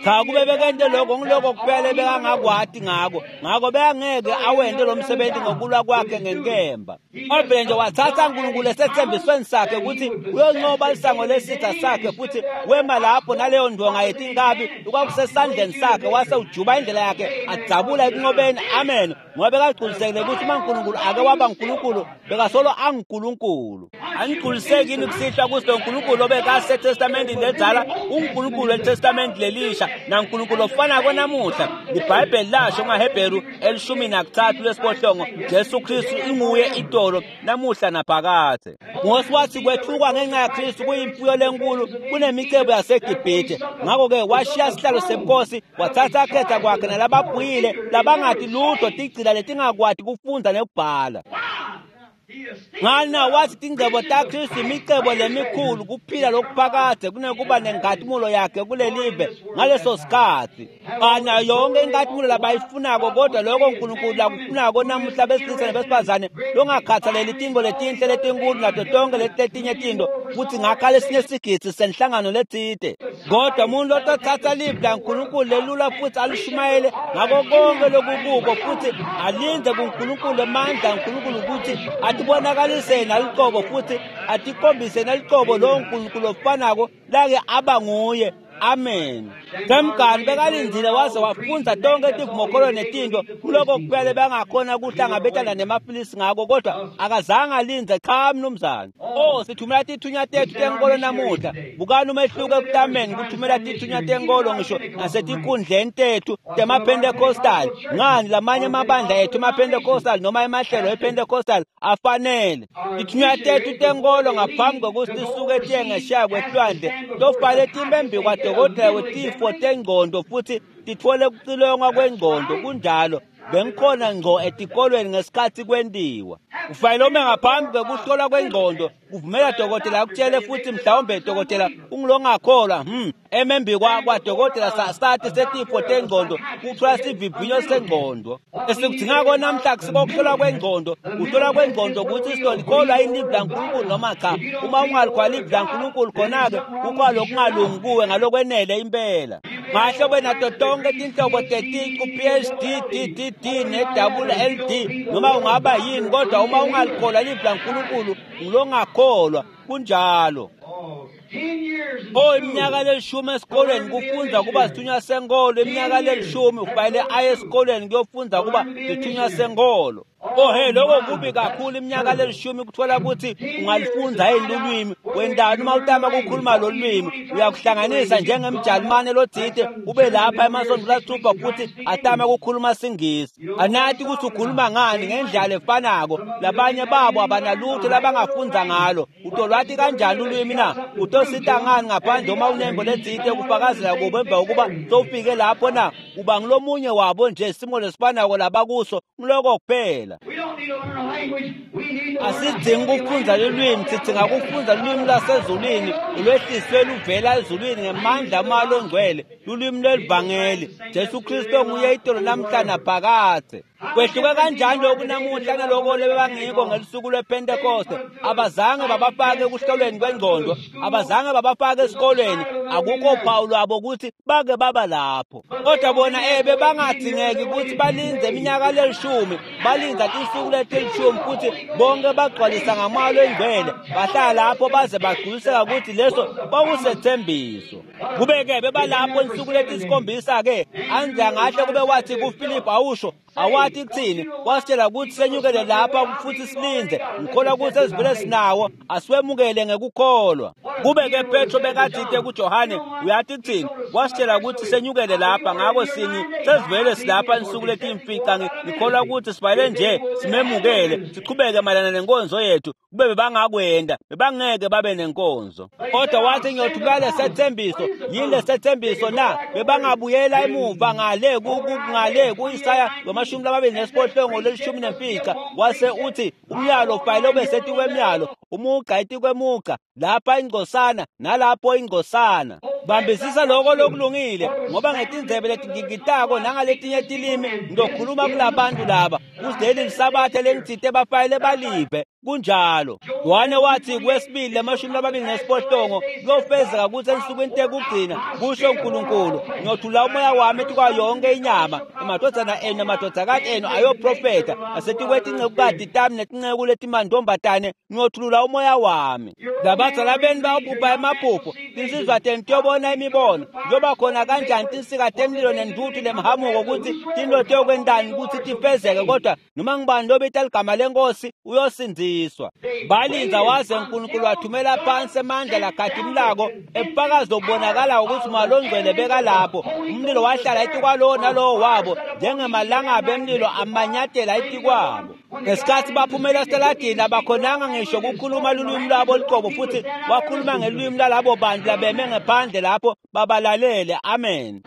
Cha, kube bekente lokho ngiloko kuphela bekangakwati ngako, ngako bekangeke awente lo msebenzi ngokulwa kwakhe ngenkemba. Wavele nje wathatha uNkulunkulu esethembisweni sakhe ukuthi uyonqoba lisango lesitha sakhe, futhi wema lapho lapho naleyo ndonga yetinkabi lokwakusesandleni sakhe, wase ujuba indlela yakhe adzabula ekunqobeni. Amen. Ngoba bekagculisekile ukuthi uma uNkulunkulu ake waba uNkulunkulu, bekasolo anguNkulunkulu. Anigculiseki yini kusihlwa ukuthi lo Nkulunkulu obekaseTestamentini ledzala uNkulunkulu weTestamenti lelisha, naNkulunkulu ofanako namuhla? Libhayibheli lasho kumaHebheru 13 lwesiphohlongo, Jesu Kristu inguye itolo namuhla naphakadze. Mose wathi kwethukwa ngenxa yaKristu kuyimfuyo lenkulu kunemicebo yaseGibhithe. Ngakho-ke washiya sihlalo sebukhosi, wathatha akhetha kwakhe nalababhuyile labangati lutho, tigcila letingakwati kufundza nekubhala. Ngani wathi tingcebo taKristu imicebo lemikhulu, kuphila lokuphakadze kunekuba nenkhatimulo yakhe kulelive ngaleso sikhatsi. Banayo yonke inkhatimulo labayifunako, kodwa lokho uNkulunkulu lakufunako namuhla besilisa nebesifazane longakhathaleli tintfo letinhle letinkulu nato tonke leti letinye tintfo, futhi ngakha lesinye sigidzi senhlangano letsite. Kodwa umuntu lotothatha livi laNkulunkulu lelula futhi alishumayele ngako konke lokukuko, futhi alindze kuNkulunkulu emandla aNkulunkulu ukuthi atibonakalise nalicobo futhi atikhombise nalicobo lowo Nkulunkulu ofanako lake aba nguye. Amen. Semgani bekalindzile waze wafundza tonke tivumokholo netintfo kuloko kuphela bangakhona kuhlangabetana nemafilisi ngako, kodwa akazange alindze. Cha mnumzane. Oh, sithumela tithunywa tethu tenkolo namuhla. Bukani umehluko ekutameni kuthumela tithunywa tenkolo ngisho nasetinkundleni tethu temaPentecostal. Ngani lamanye amabandla ethu emaPentecostal noma emahlelo ePentecostal afanele. Tithunywa tethu tenkolo ngaphambi kokuthi tisuke tiye ngesheya kwehlwandle tofale timbe kwadokotela wetifo tengqondo futhi titfole kucilongwa kwengqondo. Kunjalo, bengikhona ngco etikolweni ngesikhatsi kwentiwa. Ufanele ume ngaphambi kwekuhlolwa kwengqondo kuvumela dokotela akutshele, futhi mhlawumbe dokotela ungilongakholwa emembi kwadokotela sathi setifo tengqondo kuthiwa sivivinyo sengqondo. Esikudingako namhla kusikokuhlolwa kwengqondo. Kuhlolwa kwengqondo ukuthi sizolikholwa yini livi laNkulunkulu noma cha. Uma ungalikholwa livi laNkulunkulu, khona-ke kukho lokungalungi kuwe ngalokwenele impela. Ngahle ube nato tonke tinhlobo teticu, PhD, DDD ne-double LD noma ungaba yini, kodwa uma ungalikholwa livi laNkulunkulu ngilongakholwa. Kunjalo. Oh, iminyaka lelishumi esikolweni kufundza kuba sithunywa senkolo. Iminyaka lelishumi ufanele aye esikolweni kuyofundza kuba sithunywa senkolo. Oh hey, lokho kubi kakhulu. Iminyaka lelishumi kuthola ukuthi ungalifundza yini lulwimi. Wendani uma utama ukukhuluma lo lwimi, uyakuhlanganisa njengemjalimane lotsite ube lapha emasontfo lasithupha futhi atama ukukhuluma siNgisi. Anati ukuthi ukhuluma ngani ngendlela efanako. Labanye babo abanalutho labangafundza ngalo. Utolwati kanjani ulwimi na? Utosita ngani ngaphandle uma unembo letsite kufakazela kubo emva kokuba sowufike lapho na? Uba ngilomunye wabo nje, simo lesifanako labakuso, ngiloko kuphela. Asidzingi kufundza lulwimi, sidzinga kufundza lulwimi lwasezulwini lolwehliswe luvela ezulwini ngemandla amoya longcwele, lulwimi lwelivangeli. Jesu Kristu nguye itolo namhla naphakadze. Kwehluke kanjani lokhu namuhla naloko lebebangiko ngelusuku lwePentekoste? Abazange babafake ekuhlolweni kwengqondo, abazange babafake esikolweni, akukho phawu lwabo ukuthi bake baba lapho. Kodwa bona bebangadingeki ukuthi balindze iminyaka lelishumi, balindza tinsuku letilishumi futhi bonke bagcwalisa ngamoya longcwele, bahlala lapho baze bagculiseka ukuthi leso kwakusethembiso. Kube-ke bebalapho insuku letisikhombisa-ke, Andrea ngahle kube wathi kuFiliphu, awusho awathi kuthini, wasitshela ukuthi senyukele lapha futhi silindze, ngikholwa ukuthi esivele sinawo asiwemukele ngekukholwa. Kube-ke Petro bekathite kuJohane, uyathi kuthini, wasitshela ukuthi senyukele lapha, ngako singi sesivele silapha insuku letimfica, ngikholwa ukuthi sifanele nje simemukele sichubeke mayelana nenkonzo yethu. Kube bebangakwenda, bebangeke babe nenkonzo. Kodwa wathi ngiyothumela lesethembiso. Yini lesethembiso na? Bebangabuyela emuva ngale ngale ku-Isaya 28 lelishumi nemfica, wase uthi umyalo ufanele ube setikwemyalo, umugqa etikwemugqa, lapha ingcosana nalapho ingcosana. Bambisisa lokho lokulungile, ngoba ngetindzebe letingigitako nangaletinye tilimi ngizokhuluma kulabantu laba, kuze lisabatha lengitsite bafanele balive. Kunjalo. Yohane wathi kwesibili 28 kuyofezeka ukuthi ensukwini tekugcina, kusho uNkulunkulu, ngiyothula umoya wami etikwayo yonke inyama, emadvodzana enu namadvodzakati enu ayoprofetha, nasetikwetinceku tami netinceku letimantombatane ngiyothulula umoya wami. Labadzala benu bayobhubha emaphupho, tinsizwa tenu tiyobona Kubona imibono kuyoba khona kanjani tinsika temlilo nentuthu lemhamuko kutsi tintfo tiyokwentani kutsi tifezeke, kodwa noma ngubani lobita ligama lenkosi uyosindziswa. Balindza waze uNkulunkulu wathumela phansi emandla lakhatimulako ebufakazi lobubonakala ukuthi Moya Longcwele bekalapho. Umlilo wahlala etikwalowo nalowo wabo njengemalangabi emlilo amanyatela etikwabo. Ngesikhathi baphumela esitaladini abakhonanga ngisho ukukhuluma lulwimi lwabo luqobo, futhi wakhuluma ngelwimi lwalabo bantu labeme ngephandle lapho babalalele. Amen.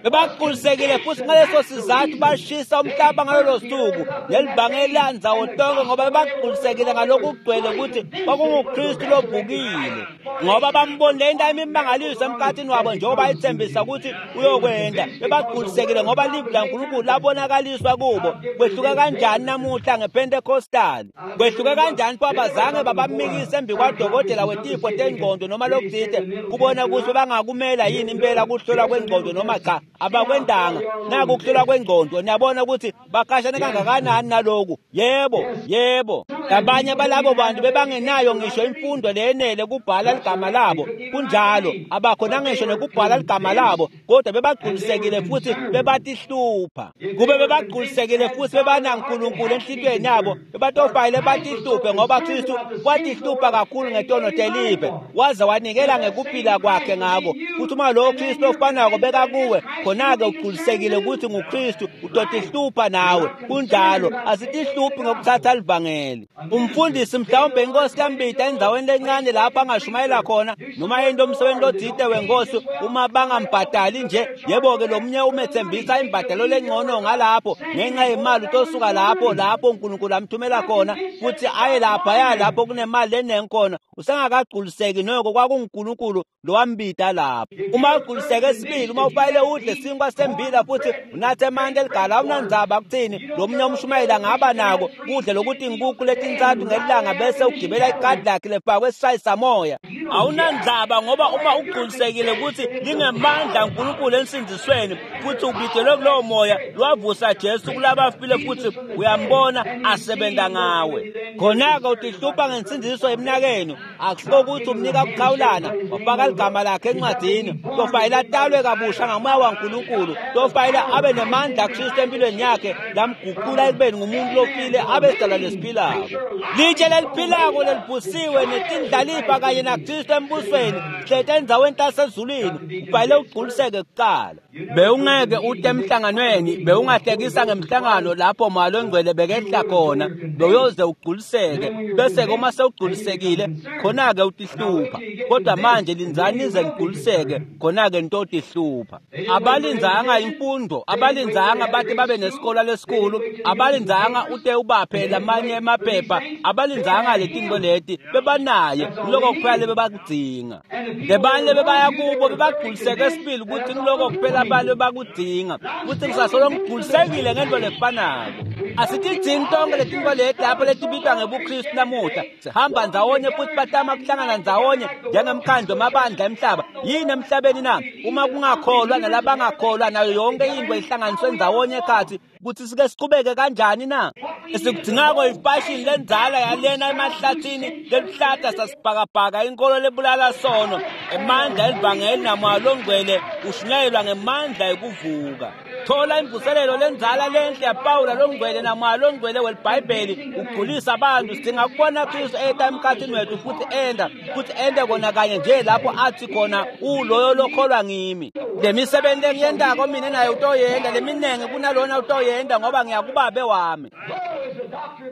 Bebaqulisekile futhi ngaleso sizathu bashisa umhlaba ngalolo suku nelibhangeli landzawo tonke, ngoba bebaqulisekile ngalokhu kugcwele ukuthi kwakunguKristu lovukile, ngoba bambonile into imimangaliso emkhathini wabo njengoba ayithembisa ukuthi uyokwenda. Bebaqulisekile ngoba livi laNkulunkulu labonakaliswa kubo. Kwehluke kanjani namuhla ngePentecostal? Kwehluke kanjani pho abazange babamikise embi kwadokotela wetifo tengqondo noma lokuthite kubona ukuthi bangakumela yini impela kuhlolwa kwengqondo noma cha. Abakwendanga naku ukuhlolwa kwengqondo. Niyabona ukuthi bakashane kangakanani naloku. Yebo, yebo. Abanye balabo bantu bebangenayo ngisho imfundo leyenele kubhala ligama labo. Kunjalo, abakhona ngisho nekubhala ligama labo, kodwa bebagculisekile futhi bebatihlupha. Kube bebagculisekile futhi bebanaNkulunkulu enhlitiyweni yabo, bebatofayile batihluphe, ngoba Kristu watihlupha kakhulu ngetono telive waze wanikela ngekuphila kwakhe ngako. Futhi uma lowo Kristu ofanako bekakuwe, khona-ke ugculisekile ukuthi nguKristu, utotihlupha nawe. Kunjalo, asitihluphi ngokuthatha livangeli. Umfundisi mhlawumbe inkosi yambita endzaweni lencane lapho angashumayela khona noma into umsebenzi lothite wenkosi, uma bangambhadali nje, yebo-ke lo munye umethembisa imbhadalo lengcono ngalapho ngenxa yemali utosuka lapho lapho uNkulunkulu amthumela khona futhi aye laphaya lapho kunemali lenengi khona. Usengakagculiseki noko kwakunguNkulunkulu lowambita lapho. Uma ugculiseke sibili, uma ufayile udle sinkwa sembila futhi unathe emanti eligala, awunandzaba kuthini lo munye umshumayeli angaba nako kudle lokuthi inkukhu letintsathu ngelanga bese ugibela ikadi lakhe lefakwe esishayisamoya. Awunandzaba, ngoba uma ugculisekile ukuthi lingemandla uNkulunkulu ensindzisweni futhi ubidelwe kulowo moya lwavusa Jesu kulabafile futhi uyambona asebenza ngawe, khona-ke utihlupha ngensindziso emnakenu. Akusiko ukuthi umnika kukhawulana wafaka ligama lakhe encwadini, tofayile atalwe kabusha ngamoya waNkulunkulu, tofayile abe nemandla Kristu empilweni yakhe lamguqula ekubeni ngumuntu lofile abe sidalwa lesiphilako. Litshe leliphilako lelivusiwe netindlalifa kanye naKristu embusweni hlete endzaweni tasezulwini. Ufayile ugculiseke kuqala. Bewungeke ute emhlanganweni, bewungahlekisa ngemhlangano lapho Moya Longcwele bekehla khona, bewuyoze ugculiseke, bese-ke uma sewugculisekile khona-ke utihlupha. Kodwa manje lindzani nize nigculiseke, khona-ke nitotihlupha. Abalindzanga imfundo, abalindzanga bathi babe nesikolo lesikhulu, abalindzanga ute ubaphe lamanye emaphepha, abalindzanga letinto leti, bebanaye ngiloko kuphela lebebakudzinga. Lebanye bebaya kubo bebagculiseke sibili ukuthi ngiloko kuphela abantu bakudzinga, futhi ngisasolo ngigculisekile ngento lefanako. Asitidzingi tonke letinto leti lapho letibitwa ngebuKristu namuhla. Sihamba ndzawonye futhi batama kuhlangana ndzawonye njengemkhandlu wamabandla emhlaba. Yini emhlabeni na? Uma kungakholwa nalabangakholwa nayo yonke into ihlanganiswe ndzawonye ekhathi, ukuthi sike siqhubeke kanjani na? Esikudingako ifashini lendzala yalena emahlathini lelihlata sasibhakabhaka, inkolo lebulala sono. Emandla elivangeli naMoya Longcwele ushunyayelwa ngemandla ekuvuka. Thola imvuselelo lendzala lenhle yaPawula Longcwele naMoya Longcwele welibhayibheli ugculisa abantu. Sidinga kubona Kristu eta emkhathini wethu futhi enda futhi ende kona kanye nje lapho athi khona uloyo lokholwa ngimi. Le misebenzi engiyendako mina naye utoyenda, leminengi kunalona utoyenda, ngoba ngiyakubabe wami.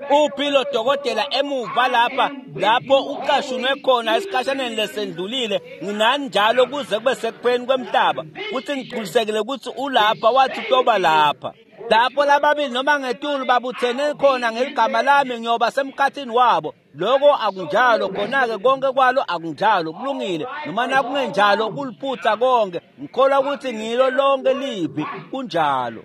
Uphi lo dokotela emuva lapha lapho ucashunwe khona esikhashaneni lesendlulile? Nginani njalo kuze kube sekupheleni kwemhlaba, futhi ngigculisekile ukuthi ulapha, wathi utoba lapha. Lapho lababili noma ngetulu babuthene khona ngeligama lami, ngiyoba semkhathini wabo. Loko akunjalo, khona-ke konke kwalo akunjalo. Kulungile, noma nakungenjalo kuliphutha konke. Ngikholwa ukuthi ngilo lonke livi. Kunjalo.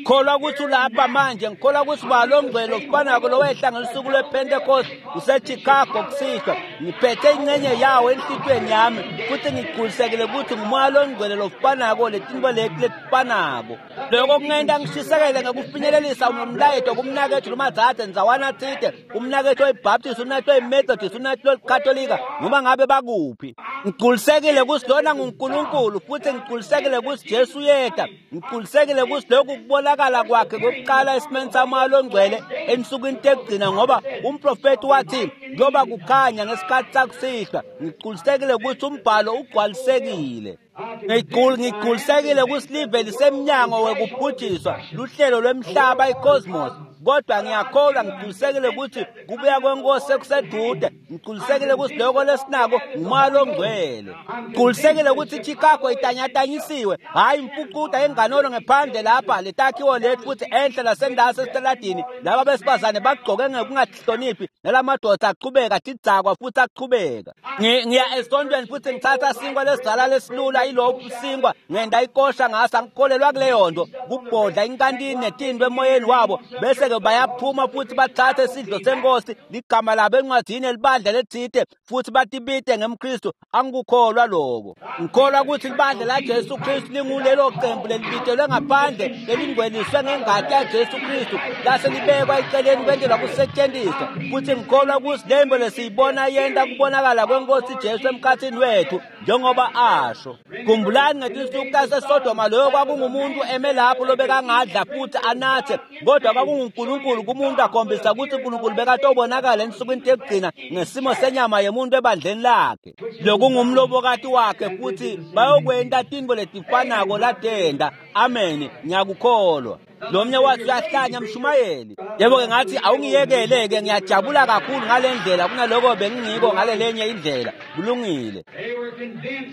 Kholwa ukuthi ulapha manje. Ngikholwa ukuthi Moya Longcwele ofanako lowehla ngelusuku lwePentecost useChicago kusihlwa. Ngiphethe ingxenye yawo enhlitiyweni yami futhi ngigculisekile ukuthi nguMoya Longcwele lofanako letinto leti letifanako. Loko kungenta ngishisekele ngekufinyelelisa umlayeto kumnakethu noma dzadze ndzawana tsite, umnakethu oyiBaptist, umnakethu oyiMethodist, umnakethu oyiKatolika, noma ngabe bakuphi. Ngigculisekile ukuthi lona nguNkulunkulu futhi ngigculisekile ukuthi Jesu uyeta. Ngigculisekile ukuthi lokhu kubonakala kwakhe kokuqala esimeni samoya longcwele ensukwini tekugcina, ngoba umprofeti wathi kuyoba kukhanya ngesikhathi sakusihlwa. Ngigculisekile ukuthi umbhalo ugcwalisekile. Ngigculisekile ukuthi live lisemnyango wekubhujiswa luhlelo lwemhlaba icosmos, kodwa ngiyakholwa ngigculisekile ukuthi kubuya kwenkosi sekusedude. Ngigculisekile ukuthi lokho lesinako ngumoya longcwele. Ngigculisekile ukuthi iChicago itanyatanyisiwe, hhayi imfucuta enganono ngephandle lapha letakhiwo lethu futhi enhle lasendasi esitaladini laba besifazane bagcoke ngekungahloniphi nalamadoda aqhubeka tidzakwa futhi aqhubeka. Ngiya esontweni futhi ngithatha sinkwa lesidala lesilula ilokhu sinkwa ngenda ikosha ngaso, angikholelwa kuleyo nto, kubhodla inkantini netinto emoyeni wabo, bese-ke bayaphuma futhi bathathe isidlo senkosi ligama labo encwadini elibandla lethite futhi batibite ngemKristu. Angikukholwa lokho. Ngikholwa ukuthi libandla laJesu Kristu lingulelo qembu lelibitelwe ngaphandle lelingcweliswe ngengati yaJesu Kristu lase libekwa eceleni kwentelwa kusetshenziswa, futhi ngikholwa ukuthi lembo lesiyibona yenta kubonakala kwenkosi Jesu emkhathini wethu njengoba asho. Khumbulani ngetinsuku taseSodoma, loyo kwakungumuntu eme lapho lobekangadla futhi anathe, kodwa kwakunguNkulunkulu kumuntu akhombisa ukuthi uNkulunkulu bekatobonakala ensukwini tekugcina ngesimo senyama yemuntu ebandleni lakhe lokungumlobokati wakhe, futhi bayokwenta tintfo letifanako latenta. Amen, ngiyakukholwa. Lo mnye wathi uyahlanya mshumayeli. Yebo-ke ngathi awungiyekele-ke, ngiyajabula kakhulu ngale ndlela kunaloko bengingiko ngale lenye indlela. Kulungile.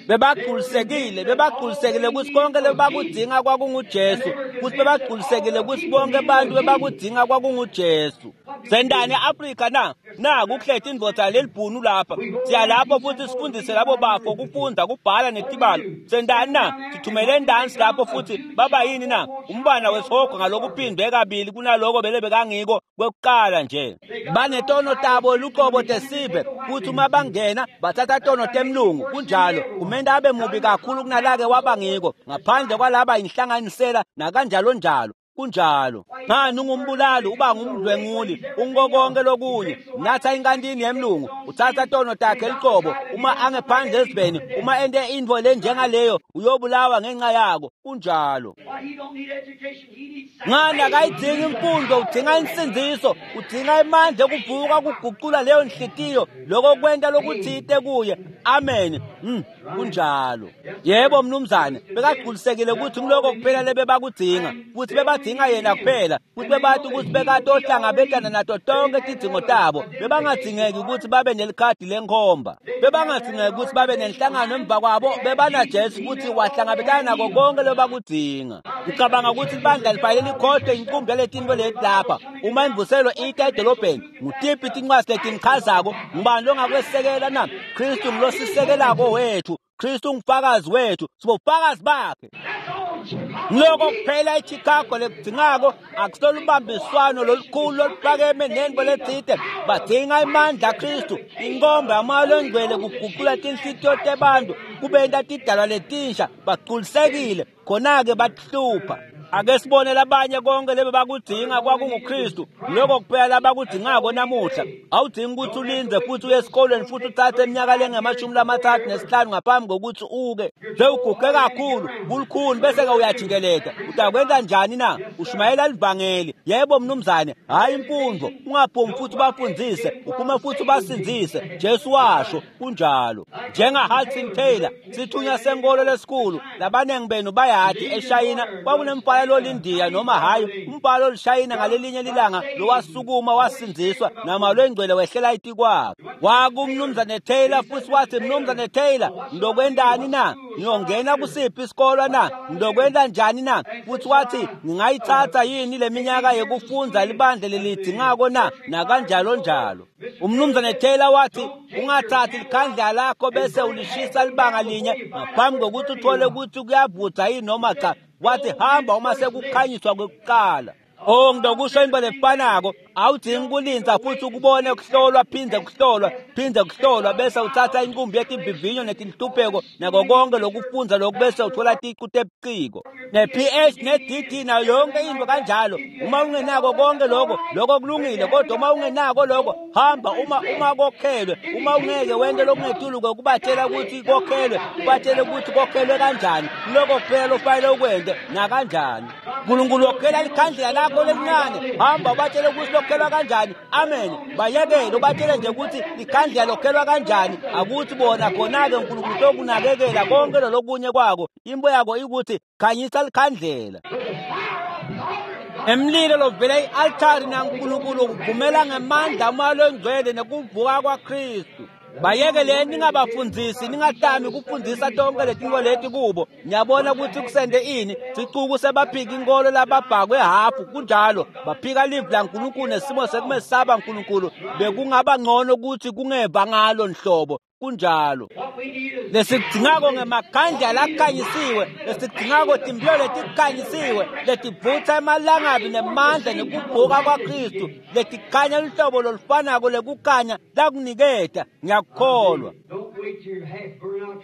Bebagculisekile, bebagculisekile ukuthi konke lebakudzinga kwakunguJesu, futhi bebagculisekile ukuthi bonke abantu bebakudzinga kwakunguJesu. Sendani e-Afrika na? Naku kuhletha indvodza lelibhunu lapha. Siya lapho futhi sifundise labo bafo kufunda, kubhala netibalo. Sendani na? Sithumele endansi lapho futhi baba yini na? Umbana wesihogo ngalokuphindwe kabili kunaloko bele bekangiko kwekuqala nje. Banetono tabo luqobo tesive, futhi uma bangena bathatha tono temlungu. Kunjalo, kumele abe mubi kakhulu kunalake wabangiko, ngaphandle kwalaba inhlanganisela nakanjalo njalo. Kunjalo. Ngani ungumbulali, uba ngumdlwenguli, unkokonke lokunye. Natha inkantini yemlungu, uthatha tono takhe liqobo, uma angephandle esiveni, uma ente intfo lenjengaleyo, uyobulawa ngenxa yako. Kunjalo. Ngani akayidzingi imfundo, udzinga insindziso, udzinga emandla ekuvuka kuguqula leyo nhlitiyo, loko kwenta lokuthite kuye. Amen. Kunjalo. Yebo mnumzane, bekagculisekile ukuthi ngiloko kuphela lebebakudzinga, futhi bebadzinga yena kuphela, futhi bebathi ukuthi bekatohlangabetana nato tonke tidzingo tabo. Bebangadzingeki ukuthi babe nelikhadi lenkhomba, bebangadzingeki ukuthi babe nenhlangano emva kwabo, bebanaJesu futhi wahlangabetana nako konke lebakudzinga. Ngicabanga ukuthi ibandla lifanele likhohlwe inkumbi yaletinto leti lapha. Uma imvuselo ita edolobheni, ngutiphi tincwadzi letinichazako? Ngubani longakwesekela na? Kristu ngulosisekelako wethu, Kristu ungufakazi wethu, sibofakazi bakhe. Ngiloko kuphela eChicago lekudzingako akusolo ubambiswano lolukhulu loluphakeme nentfo letsite. Badzinga imandla Kristu, inkomba yamoya longcwele kuguqula tinhlitiyo tebantu kubenta tidalwa letinsha, bagculisekile khona-ke batihlupha. Ake sibone labanye konke lebe bakudzinga kwakunguKristu. Lokho kuphela labakudzingako namuhla. Awudzingi ukuthi ulindze futhi uye esikolweni futhi uthathe iminyaka lengama-35 ngaphambi kokuthi uke. Sewuguge kakhulu, kulukhuni bese-ke uyajikeleta. Utakwenza njani na? Ushumayela livangeli. Yebo mnumzane, hhayi imfundo. Ungaphumi futhi ubafundzise, uphume futhi ubasindzise. Jesu washo kunjalo. Njenga-Hudson Taylor, sithunywa senkolo lesikhulu, labanengi benu bayati eShayina kwakunemfana lolindiya noma hhayi umbhalo olushayina ngalelinye lilanga lowasukuma wasindziswa nama lwengcwele wehlela itikwakhe. Wakumnumzane Taylor futhi wathi, mnumzane Taylor, ngilokwentani na? Ngiyongena kusiphi isikolwa na? Ngilokwenta njani na? Futhi wathi, ngingayithatha yini le minyaka yekufundza libandla lelidzingako na? Nakanjalo njalo. Umnumzane Taylor wathi, ungathathi likhandlela lakho bese ulishisa libanga linye ngaphambi kokuthi uthole ukuthi kuyavutha yini noma cha. Wathi hamba uma sekukhanyiswa kwekuqala. Oh, ngidokusho into lefanako. Awudzingi kulindza futhi ukubone kuhlolwa phindze kuhlolwa phindze kuhlolwa bese uthatha inqumbi yetivivinyo netinhlupheko nako konke lokufundza lokhu bese uthola ticu tebuciko ne-PH ne-DD nayo yonke into kanjalo. Uma ungenako konke lokho, lokho kulungile, kodwa uma ungenako lokho, hamba uma kokhelwe. Uma ungeke wente lokungetulu kokubatshela ukuthi kokhelwe, ubatshele ukuthi kokhelwe kanjani, lokho kuphela ofanele ukwente nakanjani. Nkulunkulu wokhela likhandlela lakho lelincane, hamba ubatshele ukuthi lokhelwa kanjani. Amen. Bayekele ubatshele nje ukuthi likhandlela lokhelwa kanjani, akuthi bona khona-ke uNkulunkulu utokunakekela konke lolokunye kwako. Imbo yako ikuthi khanyisa likhandlela. Emlilo lovela i-altari naNkulunkulu kuvumela ngemandla umoya longcwele nekuvuka kwaKristu. Bayekele ningabafundzisi, ningatami kufundzisa tonke letinto leti kubo. Ngiyabona ukuthi kusende ini, sicuku sebaphika inkolo lababhakwe hafu kunjalo, baphika livi laNkulunkulu nesimo sekumesaba Nkulunkulu. Bekungaba ngcono ukuthi kungeva ngalo nhlobo. Kunjalo. Lesidingako ngemakhandlela lakhanyisiwe, lesidingako timphilo letikhanyisiwe, letivutsa emalangabi nemandla nekuvuka kwaKristu, letikhanya luhlobo lolufanako lekukhanya lakuniketa. Ngiyakukholwa.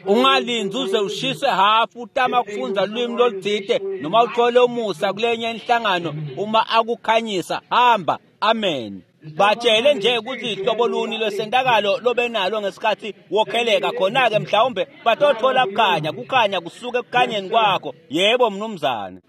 Ungalindzi uze ushise hafu utama kufundza lulwimi lolutsite noma uthole umusa kulenye inhlangano. Uma akukhanyisa, hamba. Amen. Batshele nje ukuthi ihlobo luni lwesentakalo lobenalo ngesikhathi wokheleka, khona-ke mhlawumbe batothola kukhanya, kukhanya kusuka ekukhanyeni kwakho. Yebo mnumzane.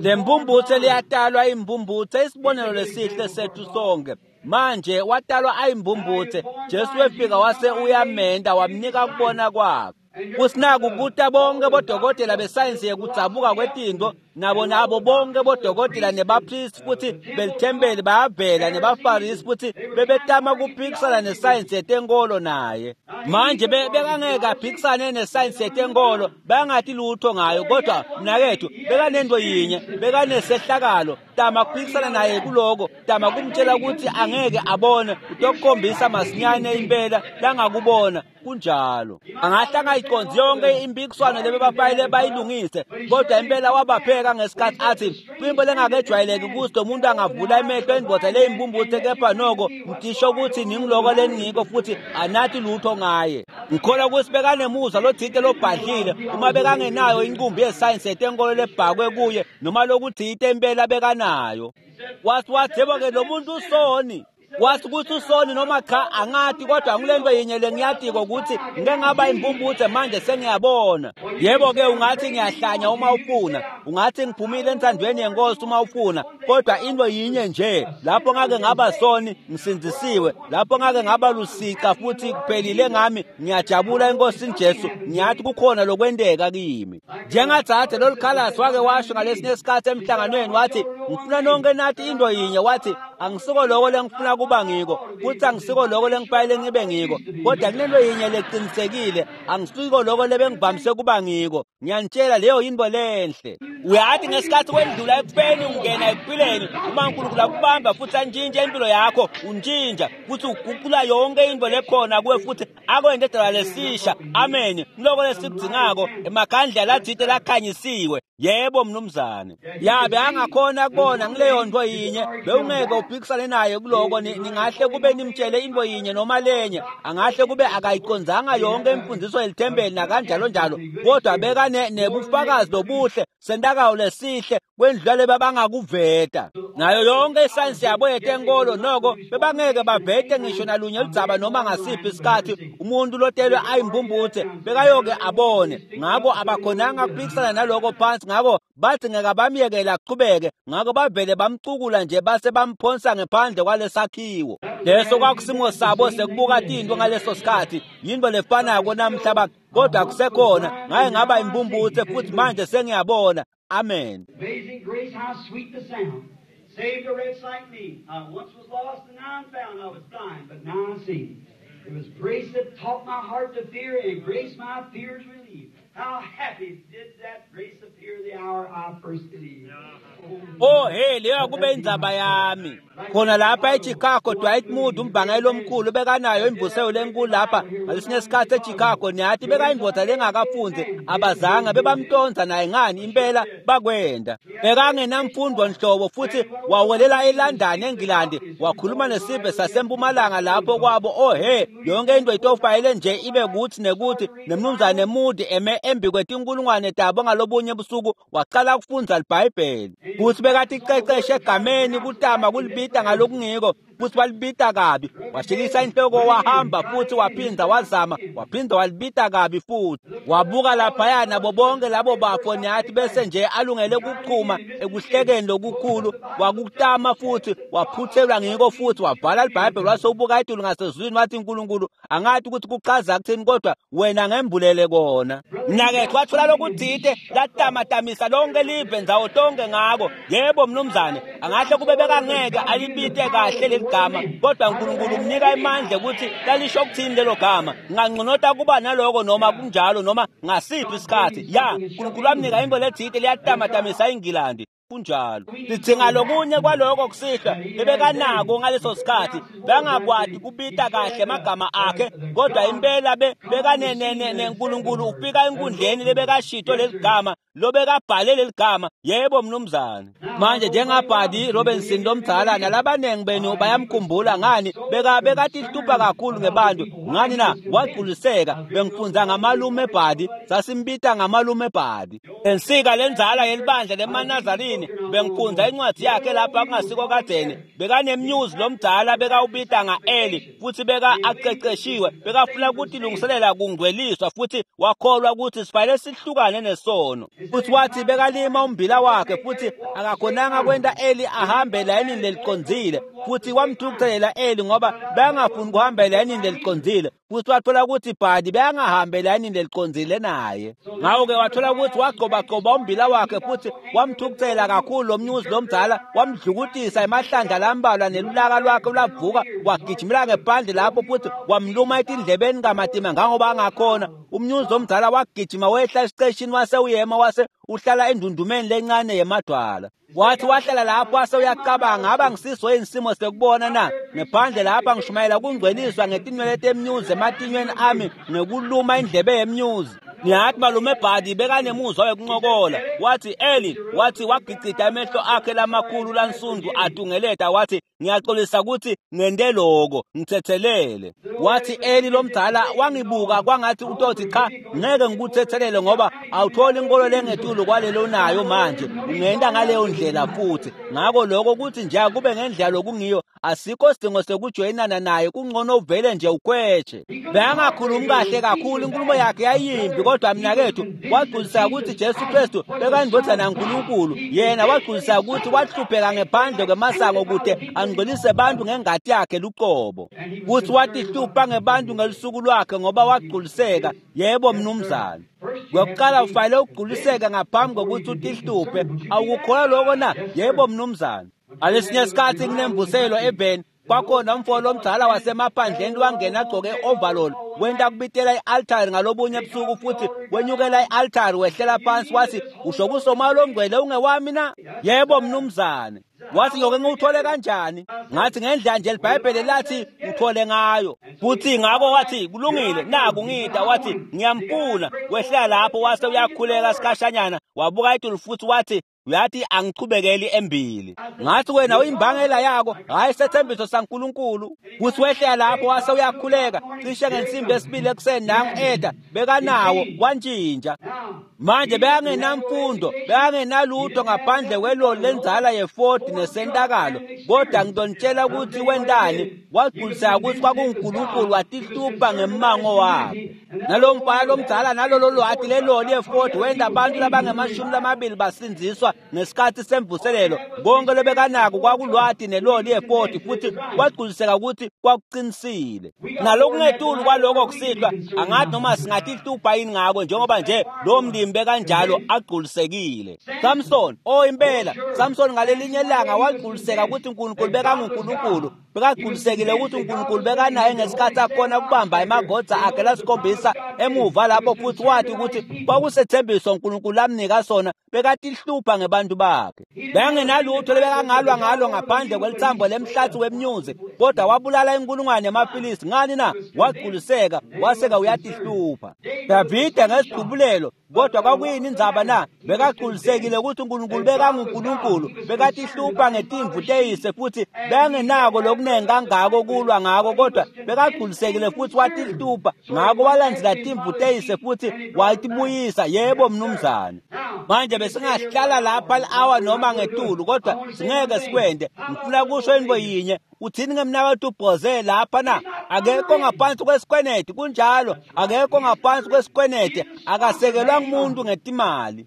Le mbumbuthe liyatalwa imbumbuthe, isibonelo lesihle sethu sonke. Manje watalwa ayimbumbuthe, Jesu wefika wase uyamenda wamnika kubona kwakhe. Kusinaku kuta bonke bodokotela besayensi yekudzabuka kwetinto, nabo bonke bodokotela nebapristi futhi belithempeli bayavela, nebafarisi futhi bebetama kuphikisana nesayensi yetenkolo naye. Manje bekangeke aphikisane nesayensi yetenkolo, bangathi lutho ngayo, kodwa mnakethu bekanento yinye, bekanesehlakalo. Tama kuphikisana naye kuloko, tama kumtshela ukuthi angeke abone, utokukhombisa masinyane impela langakubona. Kunjalo. Angahle angayiconzi yonke impikiswano lebebafayile bayilungise, kodwa impela wabapheka ngesikhathi athi kwimbo lengakejwayeleki ukuthi lo muntu angavula emehlo endvodza leyimbumbuthe, kepha noko ngisho ukuthi ningiloko leningiko futhi anathi lutho ngaye. Ngikholwa ukuthi bekanemuzwa lothite lobhadlile, uma bekangenayo inqumbi yesayensi yetenkolo lebhakwe kuye noma lokuthite impela bekanayo. Wathi yebo-ke lo muntu usoni. Wathi ukuthi usoni noma cha angathi, kodwa ngilento yinye lengiyatiko ukuthi ngike ngaba imbumbuthe manje sengiyabona. Yebo-ke ungathi ngiyahlanya uma ufuna, ungathi ngiphumile enthandweni yenkosi uma ufuna, kodwa into yinye nje, lapho ngake ngaba soni ngisindzisiwe, lapho ngake ngaba lusica futhi kuphelile ngami, ngiyajabula enkosini Jesu, ngiyathi kukhona lokwenteka kimi. Njengatsathe lolukhalasi wake washo ngalesinye isikhathi emhlanganweni, wathi ngifuna nonke nathi into yinye, wathi angisiko loko lengifuna kuba ngiko, futhi angisiko loko lengifayele ngibe ngiko, kodwa kunento yinye leqinisekile, angisiko loko lebengivamise kuba ngiko. Ngiyanitshela leyo yinto lenhle. Uyathi ngesikhathi wendlula ekufeni ungena ekuphileni, uma uNkulunkulu akubamba futhi antshintshe impilo yakho, untshintsha futhi uguqula yonke into lekhona kuwe futhi akwente edala lesisha. Amen. Loko lesikudzingako emakhandlela lathite lakhanyisiwe. Yebo mnumzane. Yabe angakhona kubona ngileyo nto yinye, bewungeke uphikisane naye kuloko. Ningahle kube nimtshele into yinye noma lenye, angahle kube akayicondzanga yonke imfundiso yelithempeli nakanjalo njalo, kodwa beka nebufakazi lobuhle sentakawo lesihle kwendlula lebabangakuveta nayo yonke isayensi yabo yetenkolo. Noko bebangeke bavete ngisho nalunye ludzaba noma ngasiphi isikhathi umuntu lotelwe ayimbumbuthe bekayoke abone. Ngako abakhonanga kuphikisana naloko phansi, ngako bathi ngeke bamyekela aqhubeke, ngako bavele bamcukula nje base bamphonsa ngephandle kwalesakhiwo. Leso kwakusimo sabo sekubuka tinto ngaleso sikhathi, yinto lefanako namhla, kodwa kusekhona. Ngaye ngaba imbumbuthe futhi manje sengiyabona. Amen. Amazing grace, how sweet the sound. Saved a wretch like me. I once was lost and now I'm found. I was blind, but now I see. It was grace that taught my heart to fear, and grace my fears relieved. How happy did that grace appear the hour I first believed. Oh hey, leyo kube indzaba yami. Khona lapha eChicago, Dwight Moody umbhangeli omkhulu bekanayo imvuselo lenkulu lapha ngalesinye isikhathi eChicago. Niyathi bekayindoda lengakafundi, abazange bebamtonza naye ngani, impela bakwenda. Bekangenamfundo nhlobo, futhi wawelela eLondon eNgilandi, wakhuluma nesive sasempumalanga lapho kwabo. Oh hey, yonke into itofayele nje ibe kuthi nekuthi, nemnumzane Moody eme embi kwetinkulungwane tabo ngalobunye busuku waqala kufundza iBhayibheli. Futhi bekaticeceshe egameni kutama kulibita ngalokungiko, futhi walibita kabi. Washikisa inhloko wahamba, futhi waphinda wazama, waphinda walibita kabi futhi. Wabuka laphaya nabo bonke labo bafo, niyathi bese nje alungele ukuchuma ekuhlekeni lokukhulu, wakutama futhi waphuthelwa ngiko, futhi wabhala iBhayibheli wase ubuka itulu ngasezulwini wathi, uNkulunkulu angathi ukuthi kuchaza kuthini, kodwa wena ngembulele kona. Mnakethu wathola lokuthite latamatamisa lonke live ndzawo tonke ngako. Yebo mnumzane, angahle kube bekangeke alibite kahle leli gama, kodwa uNkulunkulu umnika imandla ukuthi lalisho ukuthini lelo gama. Ngangconota kuba naloko noma kunjalo noma ngasiphi isikhathi. Ya, uNkulunkulu wamnika into lethite liyatamatamisa iNgilandi. Kunjalo. Sidzinga lokunye kwaloko kusihlwa bebekanako ngaleso sikhathi. Bengakwati kubita kahle amagama akhe, kodwa impela bekaneNkulunkulu ufika enkundleni lebekashito leli gama, lobekabhale leli gama. Yebo mnumzane. Manje njengabhadi Robinson lomdala nalabanengi benu bayamkhumbula ngani, bekatihlupha kakhulu ngebantu ngani na, wagculiseka. Bengifundza ngamalume Bhadi, sasimbita ngamalume Bhadi. Ensika lenzala yelibandla lemaNazarini, bengifundza incwadi yakhe lapha kungasiko kadzeni. Bekanemnyuzi lomdala bekawubita nga-Eli, futhi beka aqeqeshiwe, bekafuna ukutilungiselela kungcweliswa, futhi wakholwa ukuthi sifanele sihlukane nesono. Futhi wathi bekalima umbila wakhe, futhi akakhonanga kwenta Eli ahambe layinini lelicondzile, futhi wamthukuthelela Eli ngoba bengafuni kuhamba elayinini lelicondzile. Futhi wathola ukuthi Bhadi bengahambi elayinini lelicondzile naye. Ngakho-ke wathola ukuthi wagcobagcoba umbila wakhe, futhi wamthukuthela kakhulu lo mnyuzi lomdala, wamdlukutisa emahlandla lambalwa, nelulaka lwakhe lwavuka, wagijimela ngephandle lapho futhi wamluma etindlebeni kamatima ngangoba angakhona. Umnyuzi lomdala wagijima wehla esiceshini wase uyema wase uhlala endundumeni lencane yemadwala. Wathi wahlala lapho wase uyacabanga, aba ngisiso yini isimo sekubona na? Ngephandle lapha ngishumayela kungcweliswa ngetinwele temnyuzi ematinyweni ami ngekuluma indlebe yemnyuzi. Niyathi malume Bhadi bekanemuzwa wekuncokola. Wathi Eli, wathi wagicida emehlo akhe lamakhulu lansundu atungeleta, wathi ngiyaxolisa ukuthi ngente loko, ngithethelele. Wathi Eli lomdala wangibuka kwangathi utothi cha, ngeke ngikuthethelele ngoba awutholi inkolo lengetulu kwalelo nayo manje, ungenta ngaleyo ndlela futhi. Ngakho lokho kuthi nje akube ngendlela lokungiyo, asikho sidingo sekujoyinana naye, kungcono uvele nje ukhweshe. Bekangakhulumi kahle kakhulu, inkulumo yakhe yayimbi, kodwa mnakethu wagculiseka ukuthi Jesu Kristu bekayindodana kaNkulunkulu. Yena wagculiseka ukuthi wahlupheka ngephandle kwemasango kude angcwelise bantu ngengati yakhe luqobo. Futhi watihlupha ngebantu ngelusuku lwakhe ngoba wagculiseka. Yebo mnumzane. Kwekuqala ufanele ukugculiseka ngaphambi kokuthi utihluphe. Awukukholwa lokho na? Yebo mnumzane. Ngalesinye isikhathi kunemvuselo eveni, kwakhona umfo lomdala wasemaphandleni wangena agcoke i-overall, wenta kubitela i-altari ngalobunye ebusuku, futhi wenyukela i-altari wehlela phansi, wathi usho kusomoya longcwele ungewami na? Yebo mnumzane. Wathi ngiyoke ngiwuthole kanjani? Ngathi ngendlela nje iBhayibheli lathi uthole ngayo. Futhi ngakho wathi kulungile, naku ngida, wathi ngiyamfuna. Wehlela lapho wase uyakhuleka sikhashanyana, wabuka itulu futhi wathi uyathi angichubekeli embili. Ngathi wena uyimbangela yako, hayi sethembiso saNkulunkulu. Futhi wehlela lapho wase uyakhuleka, cishe ngensimbi yesibili ekuseni nangu eda bekanawo wantshintsha. Manje bekangenamfundo, bekangenalutho ngaphandle kweloli lenzala ye-Ford nesentakalo, kodwa ngizonitshela ukuthi wentani. Wagculiseka ukuthi kwakunguNkulunkulu, watihlupha ngemmango wakhe. Nalo mfana lomdala nalolo lwati leloli ye-Ford wenta abantu labangamashumi lamabili basindziswa ngesikhathi semvuselelo. Konke lobekanako kwakulwati neloli ye-Ford, futhi wagculiseka ukuthi kwakuqinisile. Nalokungetulu kwaloko kusihlwa, angathi noma singatihlupha yini ngako, njengoba nje lo mlimi bekanjalo agculisekile. Samson, oh impela, Samson ngalelinye ilanga wagculiseka ukuthi uNkulunkulu bekanguNkulunkulu. Bekagculisekile ukuthi uNkulunkulu bekanaye ngesikhathi akhona kubamba emagodza akhe lasikhombisa emuva lapho, futhi wathi ukuthi kwakusethembiso uNkulunkulu amnika sona. Bekatihlupha ngebantu bakhe. Bekangenalutho lebekangalwa ngalo ngaphandle kwelithambo lemhlathi wemnyuzi, kodwa wabulala inkulungwane yamaFilisti. Ngani na? Wagculiseka, waseka uyatihlupha. Davide ngesidubulelo, kodwa kwakuyini indzaba na? Bekagculisekile ukuthi uNkulunkulu bekanguNkulunkulu. Bekatihlupha ngetimvu teyise, futhi bekangenako lokunengi kangako kulwa ngako, kodwa bekagculisekile futhi watihlupha ngako. Walandzela timvu teyise futhi watibuyisa. Yebo mnumzane. Manje besingahlala lapha li-hour noma ngetulu, kodwa singeke sikwente. Ngifuna kusho into yinye. Uthini ngemnakethu uBhoze lapha na? Akekho ngaphansi kwesikweneti. Kunjalo, akekho ngaphansi kwesikweneti, akasekelwa ngumuntu ngetimali,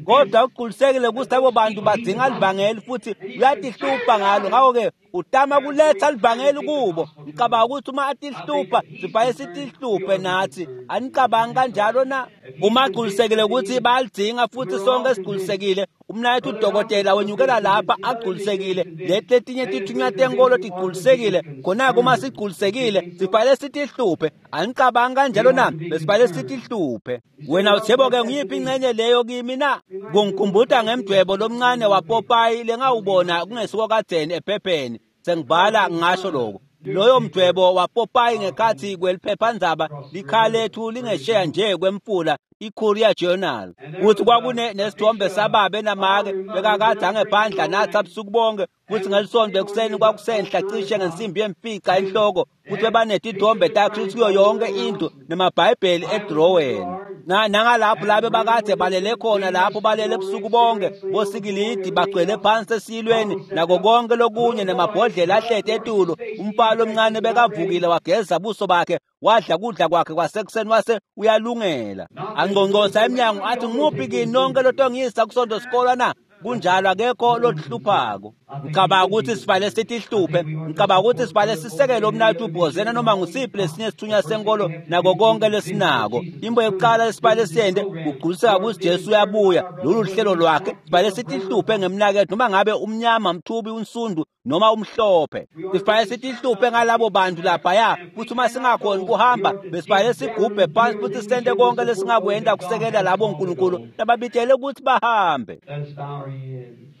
kodwa ugculisekile ukuthi labo bantu badzinga livangeli futhi uyatihlupha ngalo. Ngakho-ke utama kuletha livangeli kubo. Ngicabanga ukuthi uma atihlupha, sibhaye sitihluphe nathi. Anicabangi kanjalo na? Uma agculisekile ukuthi bayalidzinga, futhi sonke sigculisekile. Umnayethu udokotela wenyukela lapha agculisekile, leti letinye tithunywa tenkolo tigculisekile. Khona-ke uma sigculisekile, sibhale sitihluphe. Anicabangi kanjalo na? Besibhale sitihluphe. Wena uthebo-ke, ngiyiphi ingxenye leyo kimi na? Kungikhumbuta ngemdwebo lomncane waPopayi lengawubona kungesiko kadzeni ephepheni. Sengibhala ngasho lokho. Loyo mdwebo waPopayi ngekhathi kweliphephandzaba likhaya lethu lingesheya nje kwemfula, i-Courier Journal, kuthi kwakune nesithombe sababe namake bekakade angephandla nathi abusuku bonke, futhi ngelisonto ekuseni kwakusenhla cishe ngensimbi yemfica enhloko, futhi bebanetithombe taKristu kuyo yonke indlu nemabhayibheli edroweni. Nangalapho labe bakade balele khona lapho, balele ebusuku bonke, bosikilidi bagcwele phansi esiyilweni nako konke lokunye, nemabhodlela ahlete etulo. Umpalo omncane bekavukile, wageza buso bakhe, wadla kudla kwakhe kwasekuseni, wase uyalungela. Angqongqosa emnyango athi, ngimuphi kini nonke lotongiyisa kusonto sikolwa na? Kunjalo, akekho lokuhluphako. Ngicabanga ukuthi sibhale sitihluphe. Ngicabanga ukuthi sibhale sisekele umnayethu uBhozena noma ngusiphi lesinye isithunywa senkolo nako konke lesinako. Imbo yokuqala lesibhale siyende kugculiseka ukuthi Jesu uyabuya. Lolu hlelo lwakhe. Sibhale sitihluphe ngemnakethu noma ngabe umnyama, mthubi, unsundu noma umhlophe. Sibhale sitihluphe ngalabo bantu laphaya, futhi uma singakhoni kuhamba, besibhale sigubhe phansi futhi sente konke lesingakwenta kusekela labo uNkulunkulu lababitshele ukuthi bahambe. Let us bow our heads.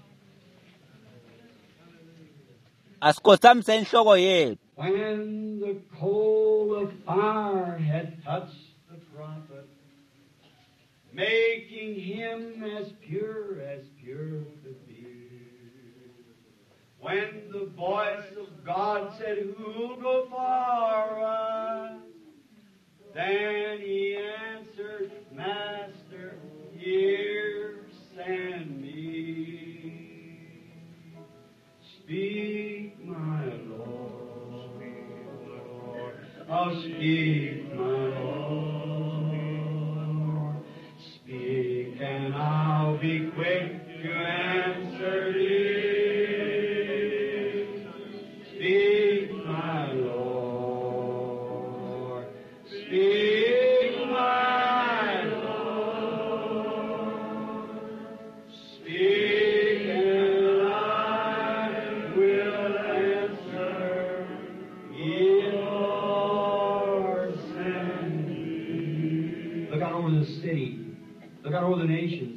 Asikhothamise inhloko yethu. When the coal of fire had touched the prophet, making him as pure as pure could be. When the voice of God said, "Who'll go for us?" Then he answered, "Master, here send me. Speak, my Lord. Oh, speak, my Lord. Speak, and I'll be quick to answer thee. Speak, my Lord. Speak, my Lord. Speak, and I will answer. Ye Lord, send me. Look out over the city. Look out over the nations.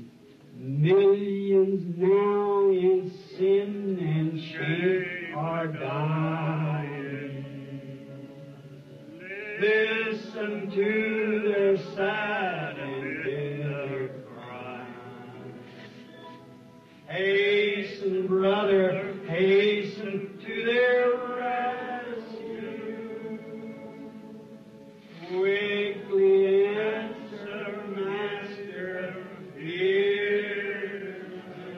Millions now in sin and shame are dying. Listen to their sad and bitter cry. Hasten, brother, hasten to their rescue. Quickly answer, Master, here.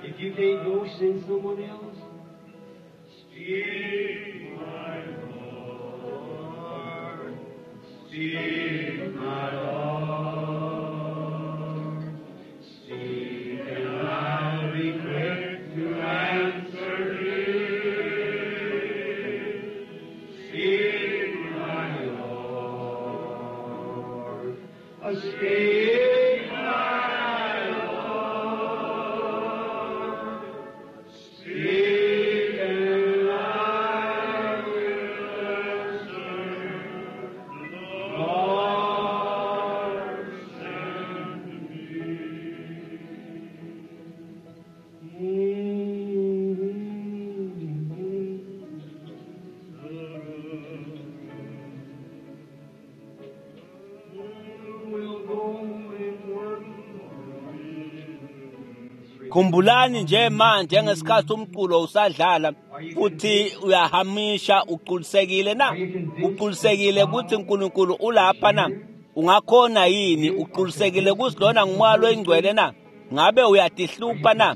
If you can't go, send someone else. Speak, my Lord. Speak, my Lord. Speak, and I'll be quick to answer thee. Speak, my Lord. Speak, my Lord. Speak, and I will Khumbulani nje manje ngesikhathi umculo usadlala futhi uyahamisha, uqulisekile na? Uqulisekile ukuthi uNkulunkulu ulapha na? Ungakhona yini? Uqulisekile ukuthi lona ngumoya loyingcwele na? Ngabe uyatihlupha na?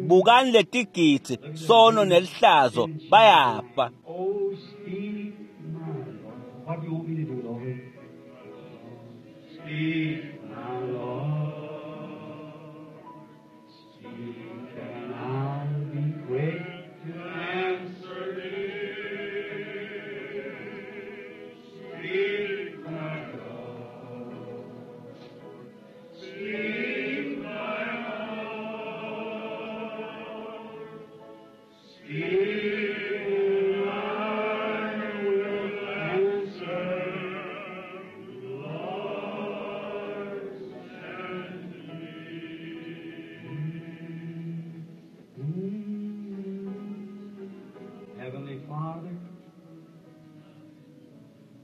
Bukani letigidzi, sono nelihlazo, bayafa. Oh, speak, my Lord. What do you want me to do, Lord? Speak, my Lord. Speak, and I'll be quick to answer thee. Speak, my Lord. Speak, my Lord. Speak, and I will answer. Lord, send me. Heavenly Father,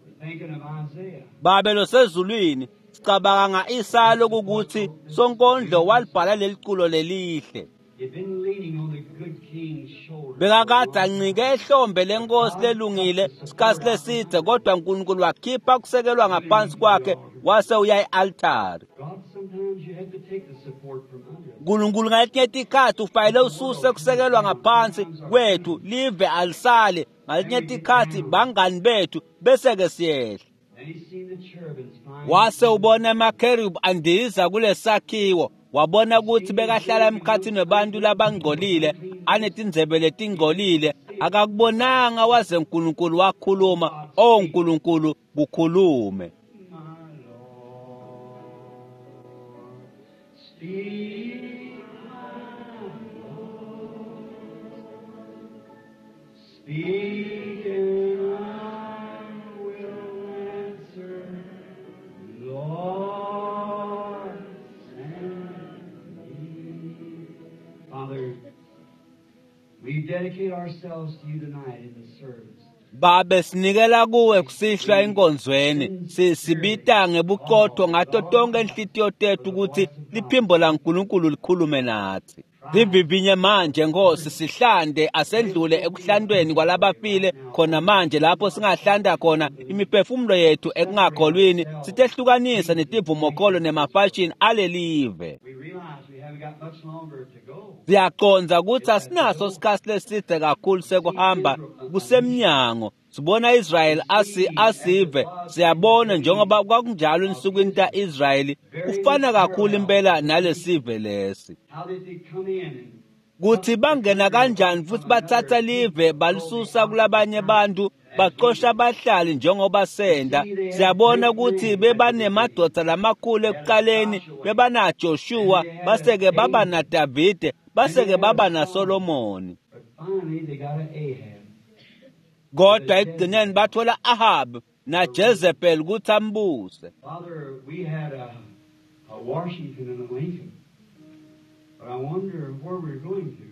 we're thinking of Isaiah. Babe losezulwini, sicabanga nga-Isaya lokukuthi sonkondlo walibhala leli culo lelihle. He'd been leaning on the good king's shoulder. Bekakade ancike ehlombe lenkosi lelungile sikhathi lesidze, kodwa uNkulunkulu wakhipha kusekelwa ngaphansi kwakhe wase uya e-altari. God, sometimes you have to take the support from under us. uNkulunkulu ngaletinye tikhathi ufanele ususe kusekelwa ngaphansi kwethu, live alisale. Ngaletinye tikhathi bangani bethu bese-ke siyehla. Then he seen the cherubims flying. Wase ubona amakherubi andiza kulesakhiwo, wabona ukuthi bekahlala emkhathini webantu labangcolile, anetindzebe letingcolile. Akakubonanga waze uNkulunkulu wakhuluma. O Nkulunkulu, kukhulume. My Lord, speak, my Lord, speak, and I will answer. Lord, send me. Father, we dedicate ourselves to you tonight in the service. Babe, sinikela kuwe kusihlwa enkonzweni. Sibita ngebuqotho ngato tonke inhlitiyo tethu ukuthi liphimbo laNkulunkulu likhulume nathi. Sivivinye manje Nkosi, sihlande asendlule ekuhlandweni kwalabafile khona manje, lapho singahlanda khona imiphefumulo yethu ekungakholwini, sitehlukanise netivumokholo nemafashini alelive. We realize we haven't got much longer to go. Siyacondza ukuthi asinaso isikhathi leside kakhulu sekuhamba, kusemnyango. Sibona Israel asive, siyabona njengoba kwakunjalo ensukwini ta-Israyeli, kufana kakhulu impela nalesive lesi. How did they come in and Kuthi bangena kanjani futhi bathatha live balisusa kulabanye bantu, baxosha abahlali njengoba senda. Siyabona ukuthi bebanemadoda lamakhulu ekuqaleni, bebana Joshua, baseke baba naDavide, baseke baba naSolomoni. But finally they got an Ahab. Kodwa ekugcineni bathola Ahab naJezebel ukuthi ambuse. Father, we had a Washington and a Lincoln. But I wonder where we're going to.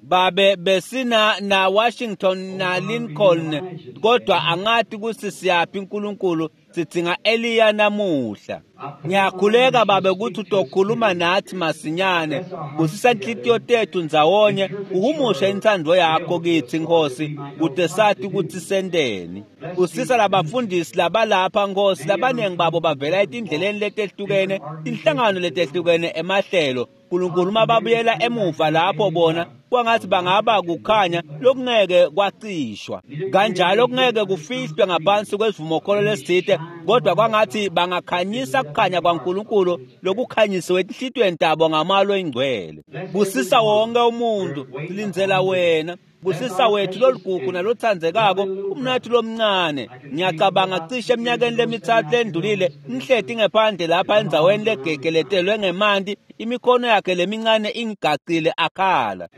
Babe, besina na Washington na Lincoln, kodwa angathi ukuthi siyaphi uNkulunkulu. Sidinga Eliya namuhla. Ngiyakhuleka Babe ukuthi utokhuluma nathi masinyane, busisa inhlitiyo tethu ndzawonye, uhumushe intsandvo yakho kithi Nkosi, kute sathi ukuthi senteni. Busisa labafundisi labalapha Nkosi, labaningi babo bavela etindleleni letehlukene, tinhlangano letehlukene, emahlelo. uNkulunkulu, uma babuyela emuva lapho bona kwangathi bangaba kukhanya lokungeke kwacishwa, kanjalo kungeke kufihlwe ngaphansi kwesivumokholo lesithile, kodwa kwangathi bangakhanyisa kukhanya kwaNkulunkulu lokukhanyisiwe etinhlitiyweni tabo ngamalo ingcwele. Busisa wonke umuntu, silindzela wena. Busisa wethu loligugu nalothandzekako umnathu lomncane. Ngiyacabanga cishe eminyakeni lemithathu lendlulile ngihleti ngephandle lapha endzaweni legegeletelwe ngemanti, imikhono yakhe lemincane ingigacile akhala.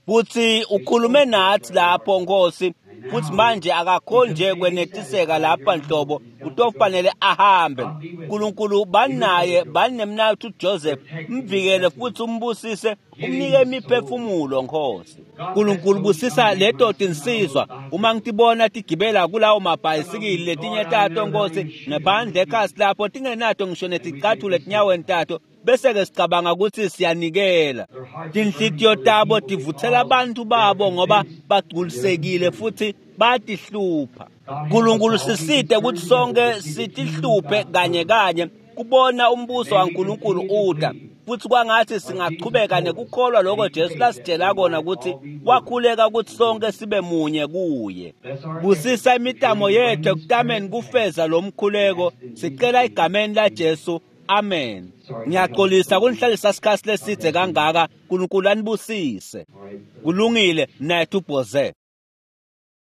Futhi ukhulume nathi lapho Nkosi, futhi manje akakhoni nje kwenetiseka lapha nhlobo, utofanele ahambe. uNkulunkulu banaye, banemnathu Joseph, mvikele futhi umbusise, umnike imiphefumulo Nkosi. uNkulunkulu busisa leto tinsizwa, uma ngitibona tigibela kulawo mabhayisikili letinye tato Nkosi, ngephandle ekhasi lapho tingenato ngisho neticathulo etinyaweni tato, Bese-ke sicabanga ukuthi siyanikela. Tinhlitiyo tabo tivutsela abantu babo ngoba bagculisekile futhi batihlupha. Nkulunkulu sisite ukuthi sonke sitihluphe kanye kanye kubona umbuso waNkulunkulu uta, futhi kwangathi singachubeka nekukholwa lokho Jesu lasitshela kona ukuthi wakhuleka ukuthi sonke sibe munye kuye. Busisa imitamo yethu ekutameni kufeza lo mkhuleko, sicela egameni laJesu. Amen. Ngiyaxolisa kunihlalisa isikhathi lesidze kangaka. uNkulunkulu anibusise. Kulungile, mnayethu Bhoze.